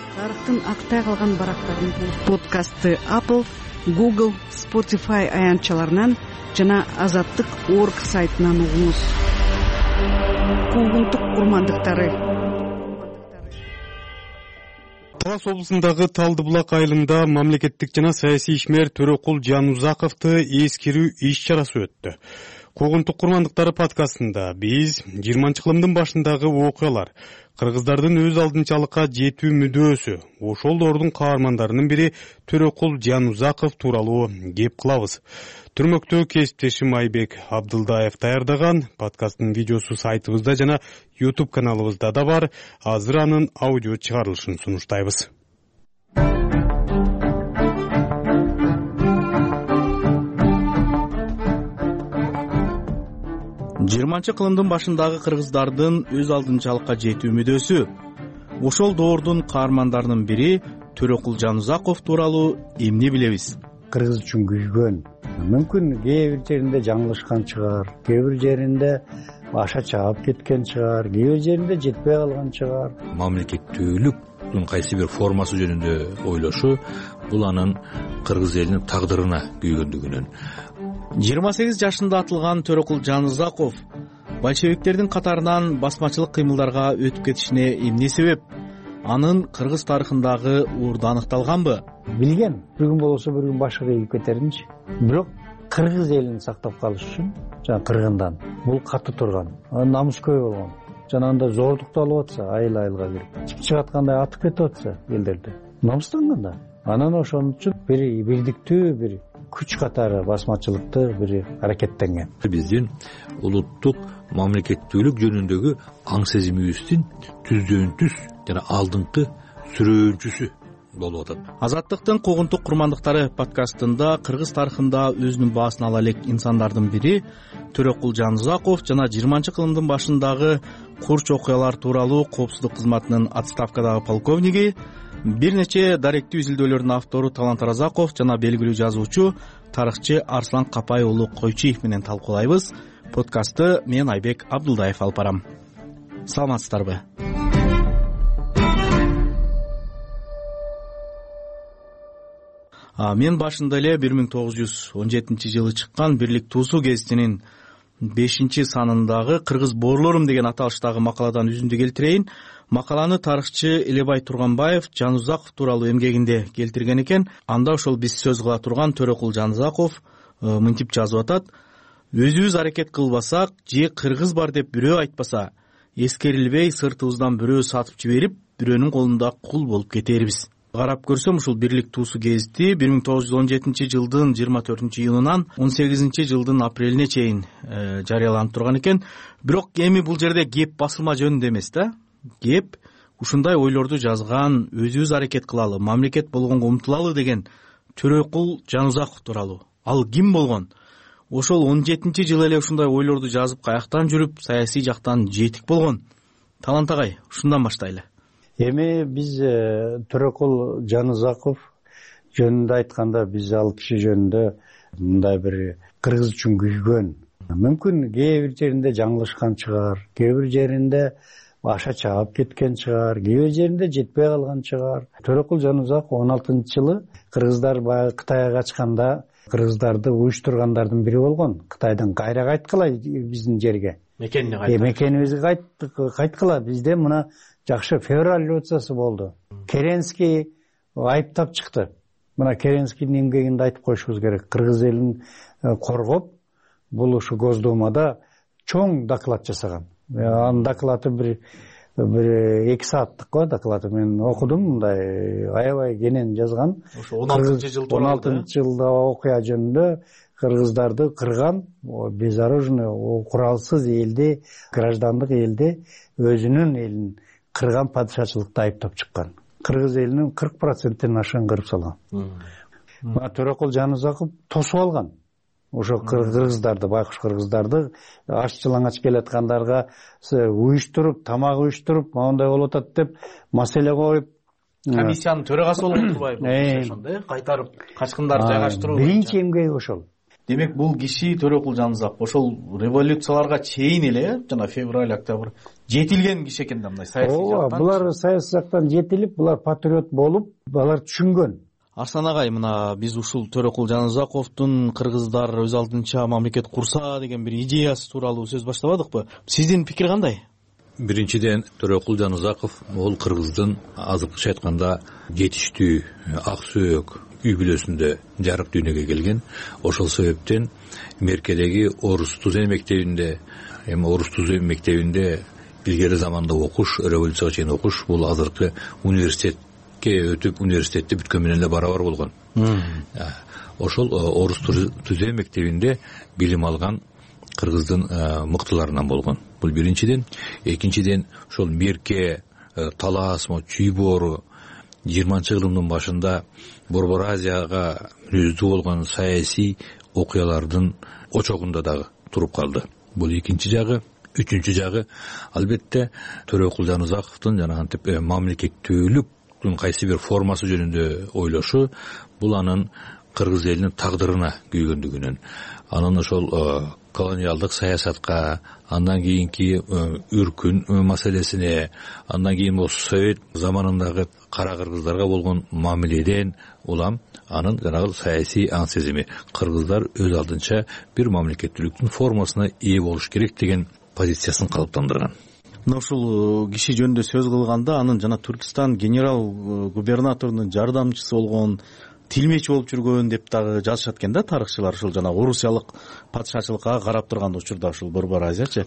Подкастты Apple, Google, Spotify аянтчаларынан жана Азаттык.org сайтынан угуңуз. Куугунтук курмандыктары. Талас облусундагы Талдыбулак айылында мамлекеттик жана саясий ишмер Төрөкул Жанузаковду эскерүү иш-чарасы өттү. Куугунтук курмандыктары подкастында биз 20-кылымдын башындагы окуялар, кыргыздардын өз алдынчалыкка жетүү мүдөөсү, ошолдордун каармандарынын бири Төрөкул Жанузаков тууралуу кеп кылабыз. Түрмөктө кесиптешим Айбек Абдылдаев даярдаган подкасттын видеосу сайтыбызда жана YouTube каналыбызда да бар. Азыр анын аудио чыгарылышын сунуштайбыз. 20-кылымдын башындагы кыргыздардын өз алдынчалыкка жетүү мүдөсү. Ошол доордун каармандарынын бири Төрөкул Жанузаков тууралуу эмне билебиз? Кыргыз үчүн күйгөн. Мүмкүн кээ бир жеринде жаңылышкан чыгар, кээ бир жеринде аша чаап кеткен чыгар, кээ бир жеринде жетпей калган чыгар. Мамлекеттүүлүктүн кайсы бир формасы жөнүндө ойлошу бул анын кыргыз элинин тагдырына күйгөндүгүнөн. 28 жашында атылган Төрөкул Жанузаков большевиктердин катарынан басмачылык кыймылдарга өтүп кетишине эмне себеп? Анын кыргыз тарыхындагы уурду аныкталганбы? Билген, бир күн болсо бир күн башы ийип кетеринчи. Бирок кыргыз элин сактап калыш үчүн жана кыргындан бул катуу турган. Намыскөй болгон. Жана анда зордукту алып атса, айыл-айылга кирип, чыгып аткандай атып кетип атса элдерди. Намыстанган да. Анан ошон үчүн бирдиктүү бир күч катары басмачылыкты бир аракеттенген. Биздин улуттук мамлекеттүүлүк жөнүндөгү аң сезимибиздин түздөн түз жана алдыңкы сүрөөнчүсү болуп атат. Азаттыктын куугунтук курмандыктары подкастында кыргыз тарыхында өзүнүн баасын ала элек инсандардын бири Төрөкул Жанузаков жана 20-кылымдын башындагы курч окуялар тууралуу коопсуздук кызматынын отставкадагы полковниги, бир нече даректүү изилдөөлөрдүн автору Талант Оразаков жана белгилүү жазуучу, тарыхчы Арслан Капай уулу Койчиев менен талкуулайбыз. Подкастты мен Айбек Абдулдаев алып барам. Саламатсыздарбы? Мен башында эле 1917-жылы чыккан Бирлик туусу гезитинин 5-санындагы Кыргыз боорлорум деген аталыштагы макаладан үзүндү келтирейин. Макаланы тарыхчы Элебай Турганбаев Жанузаков тууралуу эмгегинде келтирген экен. Анда ошол биз сөз кыла турган Төрөкул Жанузаков мынтип жазып атат: өзүбүз аракет кылбасак же кыргыз бар деп бирөө айтпаса, эскерилбей сыртыбыздан бирөө сатып жиберип, бирөөнүн колунда кул болуп кетербиз. Карап көрсөм, ушул Бирлик туусу гезити 1917-жылдын 24-июнунан 18-жылдын апрелине чейин жарыяланып турган экен. Бирок эми бул жерде кеп басылма жөнүндө эмес да. Кеп ушундай ойлорду жазган, өзүбүз аракет кылалы, мамлекет болгонго умтулалы деген Төрөкул Жанузаков тууралуу. Ал ким болгон? Ошол 17-жылы эле ушундай ойлорду жазып, каяктан жүрүп, саясий жактан жетик болгон. Талант агай, ушундан баштайлы. Эми биз Төрөкул Жанузаков жөнүндө айтканда, биз ал киши жөнүндө мындай бир кыргыз үчүн күйгөн. Мүмкүн кээ бир жеринде жаңылышкан чыгар, кээ бир жеринде аша чаап кеткен чыгар, кээ бир жеринде жетпей калган чыгар. Төрөкул Жанузаков 16-жылы кыргыздар баягы Кытайга качканда кыргыздарды уюштургандардын бири болгон. Кытайдан кайра кайткыла биздин жерге. Мекенибизге кайткыла. Бизде мына жакшы февраль революциясы болду. Керенский айыптап чыкты. Мына Керенскийдин эмгегинде айтып коюшубуз керек. Кыргыз элин коргоп, бул ушу Госдумада чоң доклад жасаган. Анын доклады бир 2 сааттык го доклады. Мен окудум, мындай аябай кенен жазган. Ошо 16-жылда окуя жөнүндө кыргыздарды кырган, безоружный, куралсыз элди, граждандык элди, өзүнүн элин кырган падышачылыкта айыптап чыккан. Кыргыз элинин 40%-тен ашыгын кырып салган. Мына Төрөкул Жанузаков тосуп алган. Ошо кыргыздарды, байкуш кыргыздарды аш-жалаңач келаткандарга уюштуруп, тамак уюштуруп, моундай болуп атат деп маселе коюп, комиссиянын төрагасы болуп турбайбы? Ошондой кайтарып качкындарды жайгаштыруу. Биринчи эмгеги ошол. Демек бул киши Төрөкул Жанузаков ошол революцияларга чейин эле, жана февраль, октябрь жетилген киши экен да, мындай саясий жактан. Булар саясий жактан жетилип, булар патриот болуп, алар түшүнгөн. Арслан агай, мына биз ушул Төрөкул Жанузаковдун кыргыздар өз алдынча мамлекет курса деген бир идеясы тууралуу сөз баштабадыкпы? Сиздин пикир кандай? Биринчиден, Төрөкул Жанузаков ол кыргыздын азыркыча айтканда жетиштүү, ак сөөк үй бүлөсүндө жарык дүйнөгө келген. Ошол себептен Меркедеги Орус Тузен мектебинде, Орус Тузен мектебинде илгери заманда окуш, революцияга чейин окуш, бул азыркы университетке өтүп, университетти бүткөн менен эле барабар болгон. Ошол Орус Тузен мектебинде билим алган кыргыздын мыктыларынан болгон. Бул биринчиден. Экинчиден, ошол Мерке, Талас, Чүй боору 20-кылымдын башында Борбор Азияга мүнөздүү болгон саясий окуялардын очогунда дагы туруп калды. бул экинчи жагы. Үчүнчү жагы албетте Төрөкул Жанузаковдун жанагынтип мамлекеттүүлүктүн кайсы бир формасы жөнүндө ойлошу, бул анын кыргыз элинин тагдырына күйгөндүгүнөн, анын ошол колониалдык саясатка, андан кийинки үркүн маселесине, андан кийин Совет заманындагы кара кыргыздарга болгон мамиледен улам анын жанагы саясий аң сезими, кыргыздар өз алдынча бир мамлекеттүүлүктүн формасына ээ болуш керек деген позициясын калыптандырган. Мына ушул киши жөнүндө сөз кылганда анын жана Түркистан генерал губернаторунун жардамчысы болгон, тилмеч болуп жүргөн деп дагы жазышат экен да тарыхчылар. Ушул жана орусиялык падышачылыкка карап турган учурда ушул Борбор Азиячы.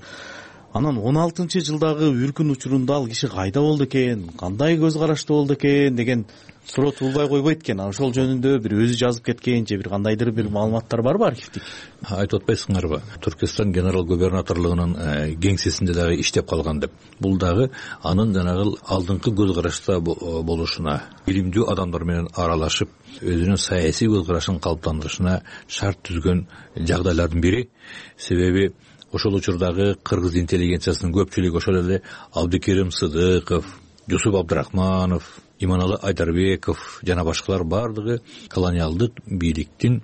Анан 16-жылдагы үркүн учурунда ал киши кайда болду экен, кандай көз караштуу болду экен деген суроо туулбай койбойт экен. Ошол жөнүндө бир өзү жазып кеткенче бир кандайдыр бир маалыматтар барбы архивдик? Айтып атпайсыңарбы? Түркистан генерал губернаторлугунун кеңсесинде дагы иштеп калган деп. Бул дагы анын жанагы алдыңкы көз карашта болушуна, билимдүү адамдар менен аралашып, өзүнүн саясий көз карашын калыптандырышына шарт түзгөн жагдайлардын бири. Себеби ошол учурдагы кыргыз интеллигенциясынын көпчүлүгү ошол эле Абдыкерим Сыдыков, Жусуп Абдрахманов, Иманалы Айдарбеков жана башкалар бардыгы колониалдык бийликтин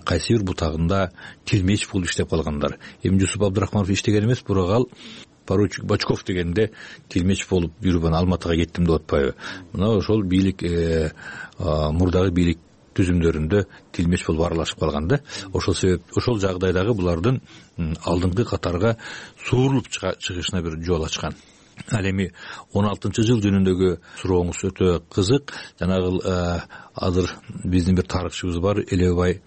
кайсы бир бутагында тилмеч болуп иштеп калгандар. Эми Жусуп Абдрахманов иштеген эмес, бирок ал поручик Бачков дегенде тилмеч болуп жүрүп Алматыга кеттим деп атпайбы. Мына ошол бийлик мурдагы бийлик түзүмдөрүндө тилмеч болуп аралашып калган да. Ошол себеп ошол жагдайдагы булардын алдыңкы катарга суурулуп чыгышына бир жол ачкан. Ал эми 16-жыл жөнүндөгү сурооңуз өтө кызык. Жанагы азыр биздин бир тарыхчыбыз бар, Элебай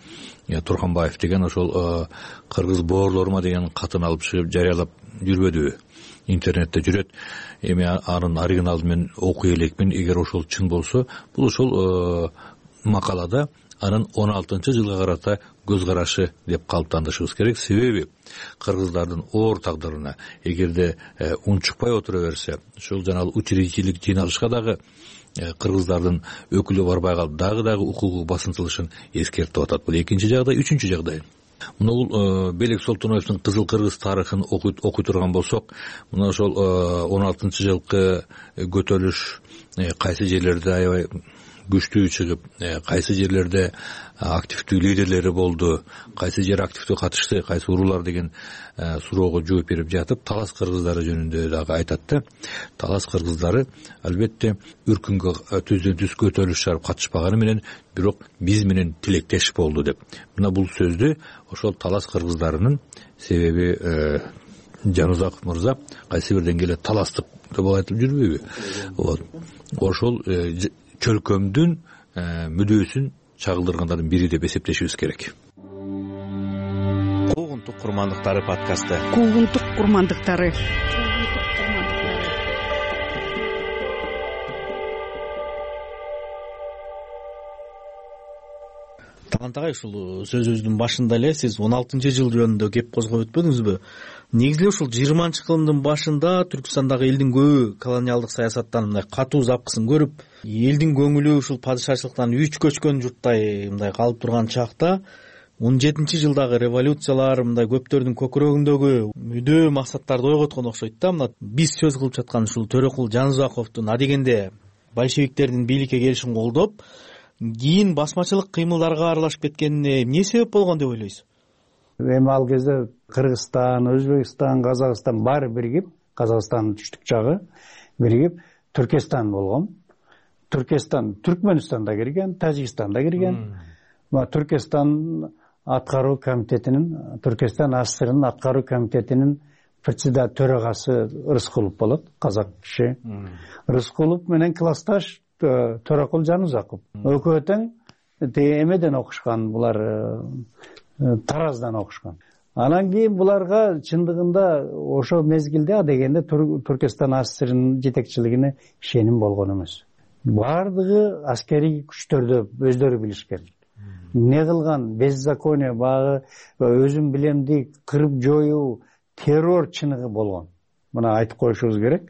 Турханбаев деген, ошол кыргыз боорлорума деген катын алып чыгып жарыялап жүрбөдүбү? Интернетте жүрөт. Эми анын оригиналын мен окуй элекмин, эгер ошол чын болсо. Бул ошол макалада анын 16-жылга карата көз карашы деп калыптандырышыбыз керек. Себеби кыргыздардын оор тагдырына эгерде унчукпай отура берсе, ушул жанагы учредительдик жыйналышка дагы кыргыздардын өкүлү барбай калып, дагы укугу басынтылышын эскертип атат. Бул экинчи жагдай. Үчүнчү жагдай. Мына бул Белек Солтоноевдун Кызыл Кыргыз тарыхын окуй турган болсок, мына ошол 16-жылкы көтөрүлүш кайсы жерлерде аябай күчтүү чыгып, кайсы жерлерде активдүү лидерлери болду, кайсы жер активдүү катышты, кайсы уруулар деген суроого жооп берип жатып, талас кыргыздары жөнүндө дагы айтат да. Талас кыргыздары албетте үркүнгө түздөн түз көтөрүлүш чыгарып катышпаганы менен, бирок биз менен тилектеш болду деп. Мына бул сөздү ошол талас кыргыздарынын, себеби Жанузаков мырза кайсы бир деңгээлде таластык деп айтып жүрбөйбү? Вот. Ошол чөлкөмдүн мүдөөсүн чагылдыргандардын бири деп эсептешибиз керек. Куугунтук курмандыктары подкасты. Куугунтук курмандыктары. Талант агай, ушул сөзүбүздүн башында эле сиз 16-жыл жөнүндө кеп козгоп өтпөдүңүзбү? Негизи ушул 20-кылымдын башында Түркистандагы элдин көбү колониалдык саясаттан мындай катуу запкысын көрүп, элдин көңүлү ушул падышачылыктан үч көчкөн журттай мындай калып турган чакта 17-жылдагы революциялар мындай көптөрдүн көкүрөгүндөгү мүдөө максаттарды ойготкон окшойт да. Мына биз сөз кылып жаткан ушул Төрөкул Жанузаковдун адегенде большевиктердин бийликке келишин колдоп, кийин басмачылык кыймылдарга аралашып кеткенине эмне себеп болгон деп ойлойсуз? Эми ал кезде Кыргызстан, Өзбекстан, Казакстан баары биригип, Казакстандын түштүк жагы биригип Түркестан болгон. Түркестан Түркмөнстанда кирген, Тажикстанда кирген. Түркестан аткаруу комитетинин, Түркестан АССРнын аткаруу комитетинин төрагасы Рыскулов болот, казак киши. Рыскулов менен классташ Төрөкул Жанузаков. Экөө тең эмеден окушкан, булар Тараздан окушкан. Анан кийин буларга чындыгында ошо мезгилде дегенде Түркестан АССРнын жетекчилигине ишеним болгон эмес. Бардыгы аскерий күчтөрдө өздөрү билишкен. Не кылган беззаконие, багы өзүм билемди кырып жоюу, террор чыныгы болгон. Мына айтып коюшубуз керек.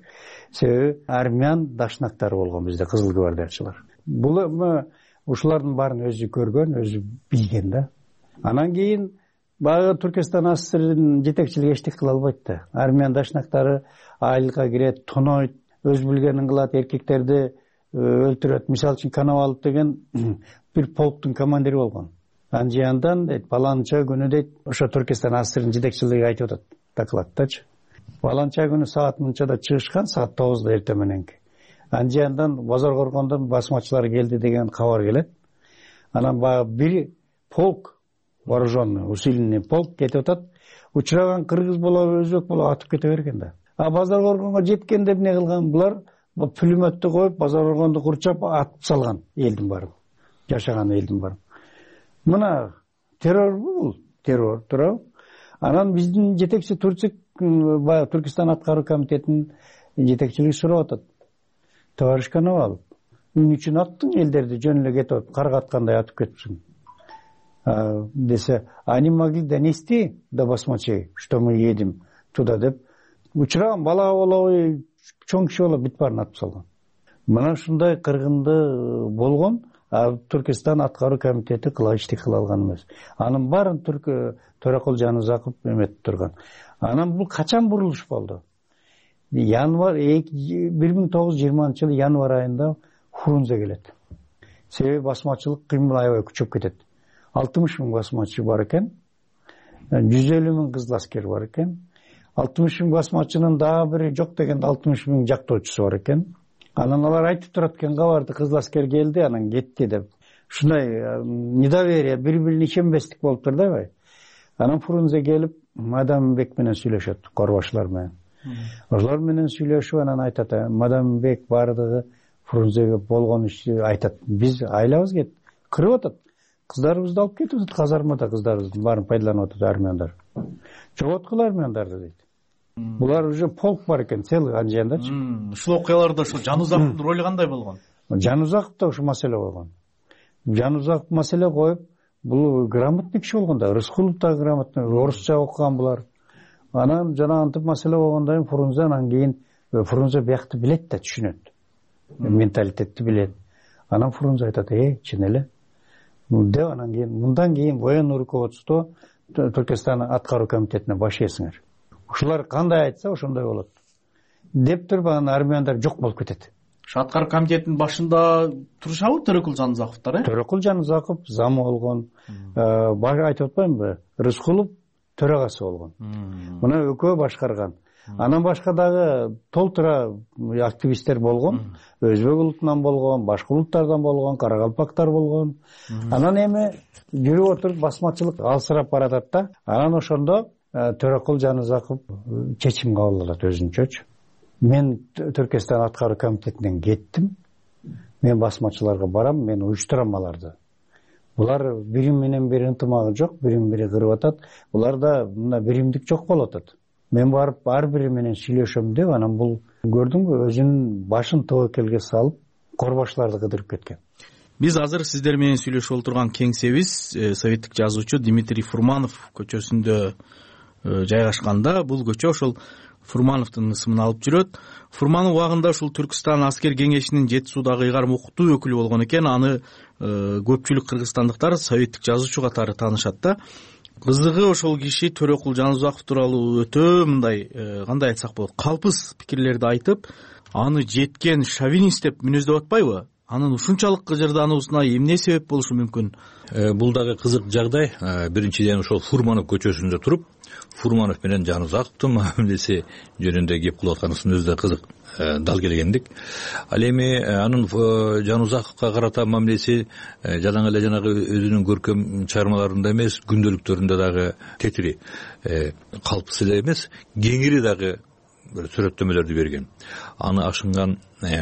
Себеби армян дашнактары болгон бизде, кызыл гвардиячылар. Бул ушулардын баарын өзү көргөн, өзү билген да. Анан кийин Баягы Түркистан АССРдин жетекчилиги эчтек кыла албайт да. Армян дашнактары айылга кирет, тонойт, өз билгенин кылат, эркектерди өлтүрөт. Мисалы үчүн Коновалов деген бир полктун командири болгон. Анжияндан дейт, баланча күнү дейт, ошо Түркистан АССРдин жетекчилиги айтып атат докладдачы. Баланча күнү саат мынчада чыгышкан, саат 9-да эртең мененки. Анжияндан Базар Коргондон басмачылар келди деген кабар келет. Анан баягы бир полк, вооруженный, усиленный полк кетип атат. Учураган кыргыз болобу, өзбек болобу атып кете берген да. Базар Коргонго жеткенде эмне кылган булар? Пулеметтү коюп, Базар Коргонду курчап атып салган элдин баарын. Жашаган элдин баарын. Мына террорбу бул? Террор, туурабы? Анан биздин жетекчи Түркистан аткаруу комитетинин жетекчилиги сурап атат. Товарищ Коновалов, эмне үчүн аттың элдерди жөн эле кетип, карга аткандай атып кетипсиң? Десе, они могли донести до басмачей, что мы едем туда, деп учураган бала болобу, чоң киши болобу бүт баарын атып салган. Мына ушундай кыргынды болгон, Түркистан аткаруу комитети эчтеке кыла алган эмес. Анын баарын Төрөкул Жанузаков эметип турган. Анан бул качан бурулуш болду? 1920-жылы январь айында Фрунзе келет. Себеби басмачылык кыймыл аябай күчөп кетет. 60 000 басмачы бар экен, 150 000 кызыл аскер бар экен. 60 000 басмачынын дагы бири жок дегенде 60 000 жактоочусу бар экен. Анан алар айтып турат экен, кабарды кызыл аскер келди, анан кетти деп. Ушундай недоверие, бири-бирине ишенбестик болуп тур да. Анан Фрунзе келип, Мадамбек менен сүйлөшөт, корбашылар менен. Ошолор менен сүйлөшүп, анан айтат, Мадамбек бардыгы Фрунзеге болгон ишти айтат. Биз айлабыз кет, кырып атат. Кыздарыбызды алып кетип атат, казармада кыздарыбыздын баарын пайдаланып атат армяндар. Жоготкула армяндарды дейт. Булар уже полк бар экен, целый Анжияндачы. Ушул окуяларда ошо Жанузаковдун ролу кандай болгон? Жанузаков да ушул маселе болгон. Жанузаков маселе коюп, бул грамотный киши болгон да, Рыскулов да грамотный, орусча окуган булар. Анан жана антип маселе болгондон кийин Фрунзе, анан кийин Фрунзе биякты билет да, түшүнөт. Менталитетти билет. Анан Фрунзе айтат, чын эле. Деп анан кийин мындан кийин военный руководство Түркистан аткаруу комитетине башыйсыңар. Ушулар кандай айтса ошондой болот. Деп туруп анан армяндар жок болуп кетет. Ошо аткаруу комитетинин башында турушабы Төрөкул Жанузаковдор, Төрөкул Жанузаков зам болгон. Айтып атпаймынбы? Рыскулов төрагасы болгон. Мына экөө башкарган. Анан башка дагы толтура активисттер болгон. Өзбек улутунан болгон, башка улуттардан болгон, каракалпактар болгон. Анан эми жүрүп отуруп басмачылык алсырап баратат да. Анан ошондо Төрөкул Жанузаков чечим кабыл алат өзүнчөчү. Мен Түркистан аткаруу комитетинен кеттим. Мен басмачыларга барам, мен уюштурам аларды. Булар бири менен бири ынтымагы жок, бири кырып атат. Буларда мына биримдик жок болуп атат. Мен барып ар бири менен сүйлөшөм деп, анан бул көрдүңбү, өзүнүн башын тобокелге салып, корбашларды кыдырып кеткен. Биз азыр сиздер менен сүйлөшүп отурган кеңсебиз советтик жазуучу Дмитрий Фурманов көчөсүндө жайгашканда. Бул көчө ошол Фурмановдун ысымын алып жүрөт. Фурманов убагында ушул Түркистан аскер кеңешинин Жети Суудагы ыйгарым окутуу өкүлү болгон экен. Аны көпчүлүк кыргызстандыктар советтик жазуучу катары таанышат да. Кызыгы ошол киши Төрөкул Жанузаков тууралуу өтө мындай, кандай айтсак болот, калпыс пикирлерди айтып, аны жеткен шовинист деп мүнөздөп атпайбы? Анын ушунчалык кыжырдануусуна эмне себеп болушу мүмкүн? Бул дагы кызык жагдай. Биринчиден ошол Фурманов көчөсүндө туруп, Фурманов менен Жанузаковдун мамилеси жөнүндө кеп кылып атканысынын өзү да кызык, дал келгендик. Ал эми анын Жанузаковго карата мамилеси жадаң эле жанагы өзүнүн көркөм чыгармаларында эмес, күндөлүктөрүндө дагы тетири, калпыс эле эмес, кеңири дагы сүрөттөмөлөрдү берген. Аны ашынган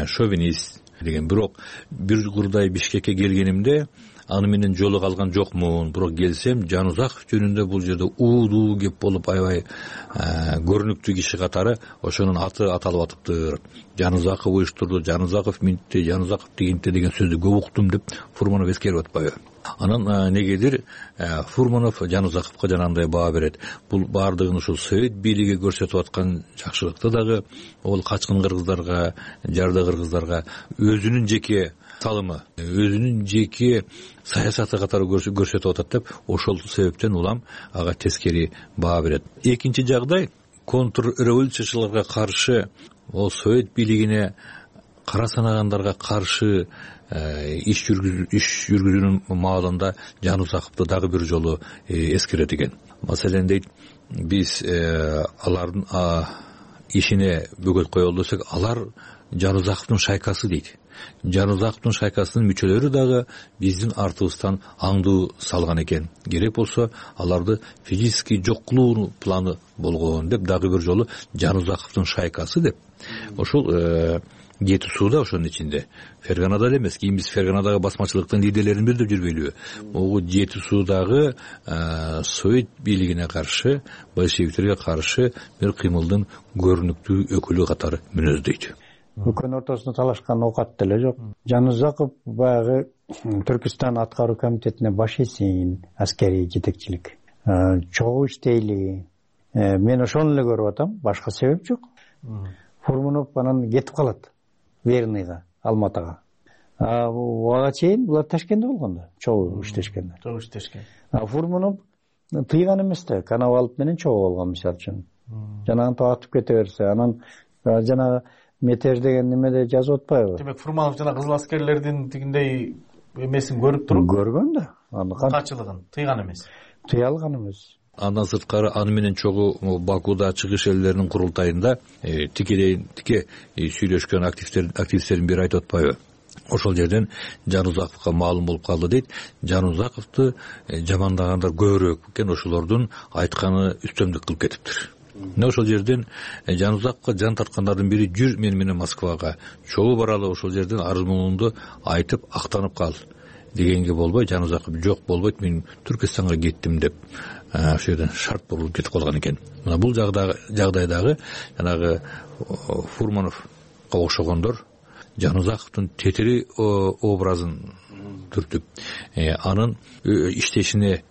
шовинист деген. Бирок бир курдай Бишкекке келгенимде аны менен жолуга алган жокмун. Бирок келсем, Жанузаков жөнүндө бул жерде уудуу кеп болуп, аябай көрүнүктүү киши катары ошонун аты аталып атыптыр. Жанузаков уюштурду, Жанузаков минтти, Жанузаков дегенте деген сөздү көп уктум деп Фурманов эскерип атпайбы? Анан негедир Фурманов Жанузаковго жанагындай баа берет. Бул баардыгын ушул совет бийлиги көрсөтүп аткан жакшылыкты дагы ол качкын кыргыздарга, жарды кыргыздарга өзүнүн жеке салымы, өзүнүн жеке саясаты катары көрсөтүп атат деп, ошол себептен улам ага тескери баа берет. Экинчи жагдай, контрреволюциячыларга каршы, ол совет бийлигине кара санагандарга каршы иш жүргүзүүнүн маалында Жанузаковду дагы бир жолу эскерет экен. Маселен дейт, биз алардын ишине бөгөт коелу десек, алар Жанузаковдун шайкасы дейт. Жанузаковдун шайкасынын мүчөлөрү дагы биздин артыбыздан аңдуу салган экен. Керек болсо аларды физически жок кылуу планы болгон деп, дагы бир жолу Жанузаковдун шайкасы деп. Ошол Жети сууда ошонун ичинде. Ферганада эле эмес. Кийин биз Ферганадагы басмачылыктын лидерлерин бир деп жүрбөйлүбү? Могу Жети суудагы совет бийлигине каршы, большевиктерге каршы бир кыймылдын көрүнүктүү өкүлү катары мүнөздөйт. Өкөнүн ортосунда талашкан оокат деле жок. Жанузаков баягы Түркүстан аткаруу комитетине баш ийсин, аскерий жетекчилик. Чогуу иштейли. Мен ошону эле көрүп атам, башка себеп жок. Фурманов анан кетип калат. Верныйга, Алматага. Ага чейин булар Ташкентте болгон да, чогуу иштешкен. Фурманов тыйган эмес да, Коновалов менен чогуу болгон мисалы үчүн. Жанагын татып кете берсе, анан жанагы метеж деген немеде жазып атпайбы? Демек Фурманов жана кызыл аскерлердин тигиндей эмесин көрүп туруп, көргөн да. качылыгын тыйган эмес. Тыя алган эмес. Андан сырткары аны менен чогуу Бакуда чыгыш элдеринин курултайында тике сүйлөшкөн активисттердин бири айтып атпайбы? Ошол жерден Жанузаковго маалым болуп калды дейт. Жанузаковду жамандагандар көбүрөөк экен, ошолордун айтканы үстөмдүк кылып кетиптир. Ошол жерден Жанузаковго жан тарткандардын бири жүр мен менен Москвага чогуу баралы, ошол жерден арыз муңуңду айтып актанып кал дегенге болбой, Жанузаков жок болбойт, мен Түркистанга кеттим деп ошол жерден шарт болуп кетип калган экен. Мына бул жагдайдагы жанагы Фурмановго окшогондор Жанузаковдун тетири образын түртүп, анын иштешине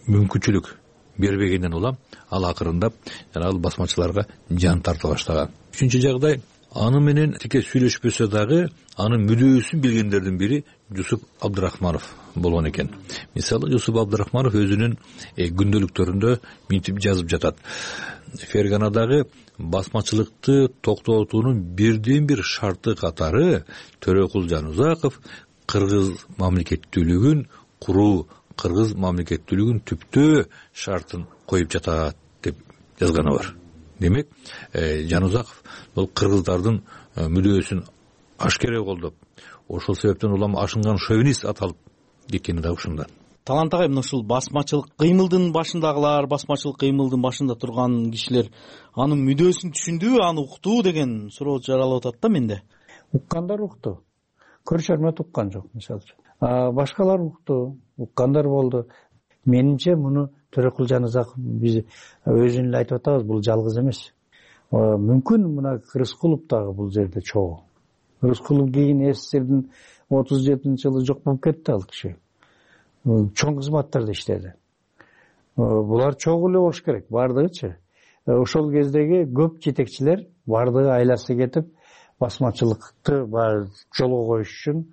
мүмкүнчүлүк бербегенден улам ал акырындап жанагы басмачыларга жан тарта баштаган. Үчүнчү жагдай, аны менен тике сүйлөшпөсө дагы анын мүдөөсүн билгендердин бири Жусуп Абдырахманов болгон экен. Мисалы, Жусуп Абдырахманов өзүнүн күндөлүктөрүндө мынтип жазып жатат. Ферганадагы басмачылыкты токтотуунун бирден бир шарты катары Төрөкул Жанузаков кыргыз мамлекеттүүлүгүн куруу, кыргыз мамлекеттүүлүгүн түптөө шартын коюп жатат деп жазганы бар. Демек, Жанузаков бул кыргыздардын мүдөөсүн ашкере колдоп, ошол себептен улам ашынган шовинист аталып кеткени да ушундан. Талант агай, ушул басмачылык кыймылдын башындагылар, басмачылык кыймылдын башында турган кишилер анын мүдөөсүн түшүндүбү, аны уктуу деген суроо жаралып атат да менде. Уккандар укту. Көршөрмө уккан жок, мисалы үчүн. Башкалар укту, уккандар болду. Менимче муну Төрөкул Жанузаков биз өзүн эле айтып атабыз, бул жалгыз эмес. Мүмкүн мына Рыскулов дагы бул жерде чогуу. Рыскулов кийин СССРдин 37-жылы жок болуп кетти ал киши. Чоң кызматтарда иштеди. Булар чогуу эле болуш керек, бардыгычы. Ошол кездеги көп жетекчилер бардыгы айласы кетип, басмачылыкты жолго коюш үчүн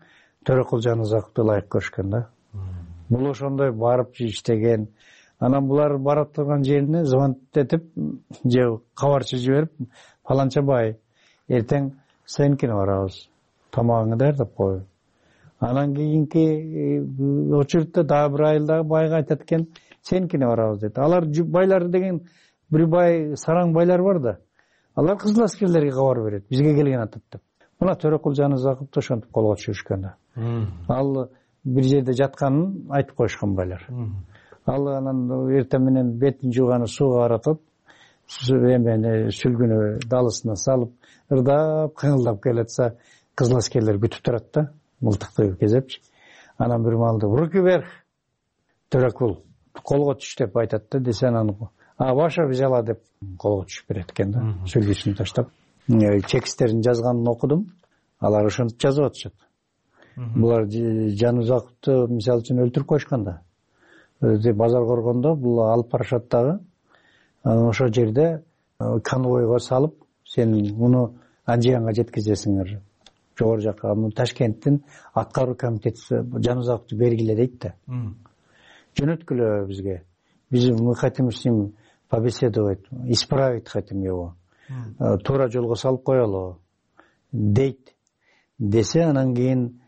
Төрөкул Жанузаковду ылайык көрүшкөн да. Бул ошондой барып иштеген. Анан булар бара турган жерине звонок этип, же кабарчы жиберип, фаланча бай, эртең сенкине барабыз, тамагыңды даярдап кой. Анан кийинки очередте дагы бир айылдагы байга айтат экен, сенкине барабыз дейт. Алар байлар деген бир бай, сараң байлар бар да. Алар кызыл аскерлерге кабар берет, бизге келген атат деп. Мына Төрөкул Жанузаковду ошентип колго түшүрүшкөн да. Ал бир жерде жатканын айтып коюшкан байлар. Ал анан эртең менен бетин жууганы сууга каратып, сүлгүнү далысына салып, ырдап, кыңылдап келатса, кызыл аскерлер күтүп турат да, мылтыкты кезепчи. Анан бир маалда руки вверх, Төрөкул колго түш деп айтат да, десе анан баша бижала деп колго түшүп берет экен да, сүлгүсүн таштап. Тексттерин жазганын окудум, алар ошентип жазып атышат. Булар Жанузаковду мисалы үчүн өлтүрүп коюшкан да. Базар коргондо бул алып барышат дагы. Ошол жерде конвойго салып, сен муну Анжиянга жеткизесиңер. Жогору жакка. Ташкенттин аткаруу комитети Жанузаковду бергиле дейт да. Жөнөткүлө бизге. Мы хотим с ним побеседовать, исправить хотим его. Туура жолго салып коелу дейт. Десе, анан кийин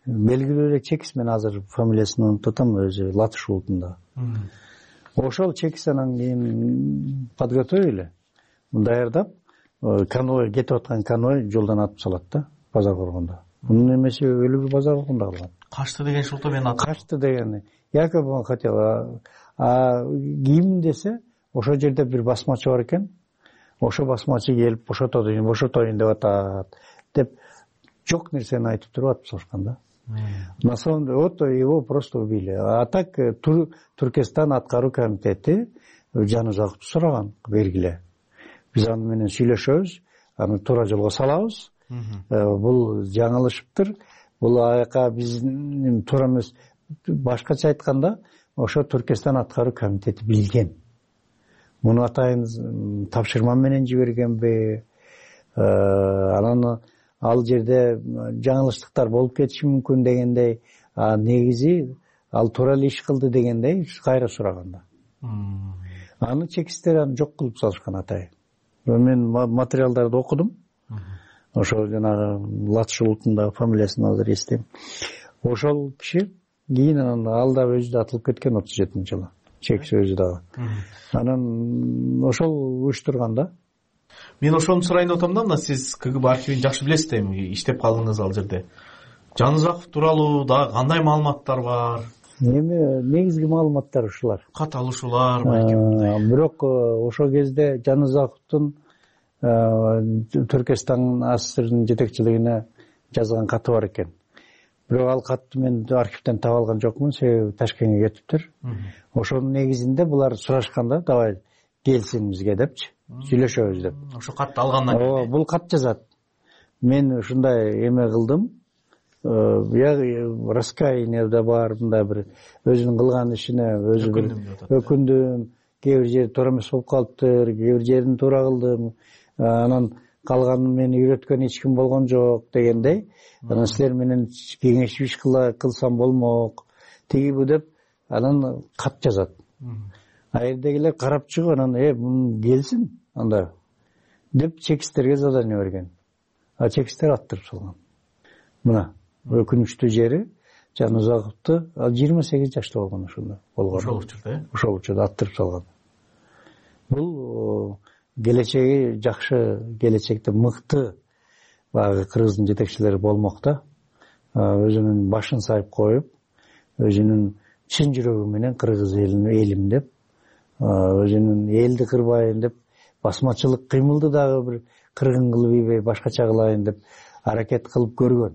белгилүү эле чекис, мен азыр фамилиясын унутуп атам, өзү Латышулутунда. Ошол чекис анан кийин подготовили, даярдап, конвой кетип аткан конвой жолдон атып салат да, базар коргондо. Мунун эмеси өлүгү базар коргондо калган. Качты деген шулто мен Качты деген. Якобы он хотел. Ким десе, ошол жерде бир басмачы бар экен. Ошо басмачы келип бошотоюн деп атат. Деп жок нерсени айтып туруп атып салышкан да. На самом деле, вот его просто убили. А так Туркестан аткаруу комитети Жанузаковду сураган, бергиле. Биз аны менен сүйлөшөбүз, аны туура жолго салабыз. Бул жаңылышыптыр. Бул аяка биздин туура эмес. Башкача айтканда, ошо Туркестан аткаруу комитети билген. Муну атайын тапшырма менен жибергенби? Анан ал жерде жаңылыштыктар болуп кетиши мүмкүн дегендей, негизи ал туура эле иш кылды дегендей кайра сураганда. Аны чекистер аны жок кылып салышкан атайын. Мен материалдарды окудум. Ошол жанагы Латышулутунда фамилиясын азыр эстейм. Ошол киши кийин ал да өзү да атылып кеткен 37-жылы. Чекис өзү дагы. Анан ошол уюштурганда. Мен ошону сурайын деп атам да, мына сиз КГБ архивин жакшы билесиз да, эми иштеп калдыңыз ал жерде. Жанузаков тууралуу дагы кандай маалыматтар бар? Эми негизги маалыматтар ушулар. Кат алышуулар балким. Бирок ошол кезде Жанузаковдун Түркистан АССРдын жетекчилигине жазган каты бар экен. Бирок ал катты мен архивден таап алган жокмун, себеби Ташкентке кетиптир. Ошонун негизинде булар сурашканда, давай келсин бизге депчи, сүйлөшөбүз деп. Ошо катты алгандан кийин бул кат жазат. Мен ушундай эме кылдым. Раскаяние да бар, мындай бир өзүнүн кылган ишине өзү бир өкүндүм. Кээ бир жери туура эмес болуп калыптыр, кээ бир жерин туура кылдым. Анан калганын мени үйрөткөн эч ким болгон жок дегендей. Анан силер менен кеңешип иш кылсам болмок. Тигиби деп анан кат жазат. А жердегилер карап чыгып анан мун келсин анда деп чекистерге задание берген. А чекистер аттырып салган. Мына өкүнүчтүү жери Жанузаковду 28 жашта болгон ошондо болгон. Ошол учурда, ошол учурда аттырып салган. Бул келечеги жакшы, келечекте мыкты баягы кыргыздын жетекчилери болмок да. Өзүнүн башын сайып коюп, өзүнүн чын жүрөгү менен кыргыз элим деп, өзүнүн элди кырбайын деп, басмачылык кыймылды дагы бир кыргын кылып ийбей башкача кылайын деп аракет кылып көргөн.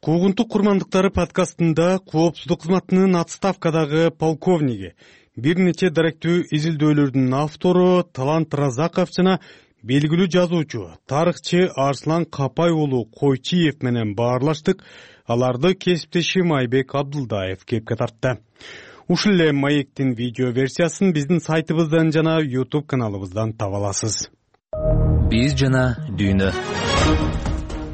Куугунтук курмандыктары подкастында коопсуздук кызматынын отставкадагы полковниги, бир нече даректүү изилдөөлөрдүн автору Талант Разаков жана белгилүү жазуучу, тарыхчы Арслан Капай уулу Койчиев менен баарлаштык. Аларды кесиптешим Айбек Абдулдаев кепке тартты. Ушул эле маектин видео версиясын биздин сайтыбыздан жана YouTube каналыбыздан таба аласыз. Биз жана дүйнө.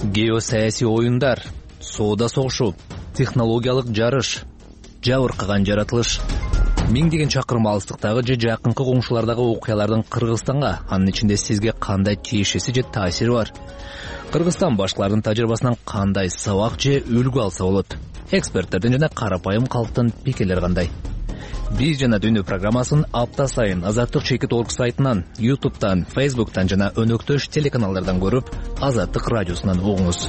Геосаясий оюндар, соода согушу, технологиялык жарыш, жабыркаган жаратылыш. Миңдеген чакырым алыстыктагы же жакынкы коңшулардагы окуялардын Кыргызстанга, анын ичинде сизге кандай тиешеси же таасири бар? Кыргызстан башкалардын тажрыйбасынан кандай сабак же үлгү алса болот? Эксперттердин жана карапайым калктын пикирлери кандай? Биз жана дүйнө программасын апта сайын Азаттык Чекит.org сайтынан, YouTube'дан, Facebook'тан жана өнөктөш телеканалдардан көрүп, Азаттык радиосунан угуңуз.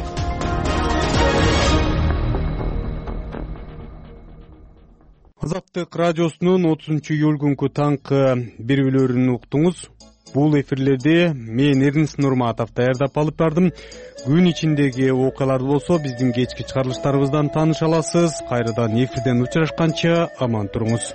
Азаттык радиосунун 30-июль күнкү таңкы берүүлөрүн уктуңуз. Бул эфирлерде мен Эрнис Нурматов даярдап алып бардым. Күн ичиндеги окуяларды болсо биздин кечки чыгарылыштарыбыздан тааныша аласыз. Кайрадан эфирден учурашканча аман туруңуз.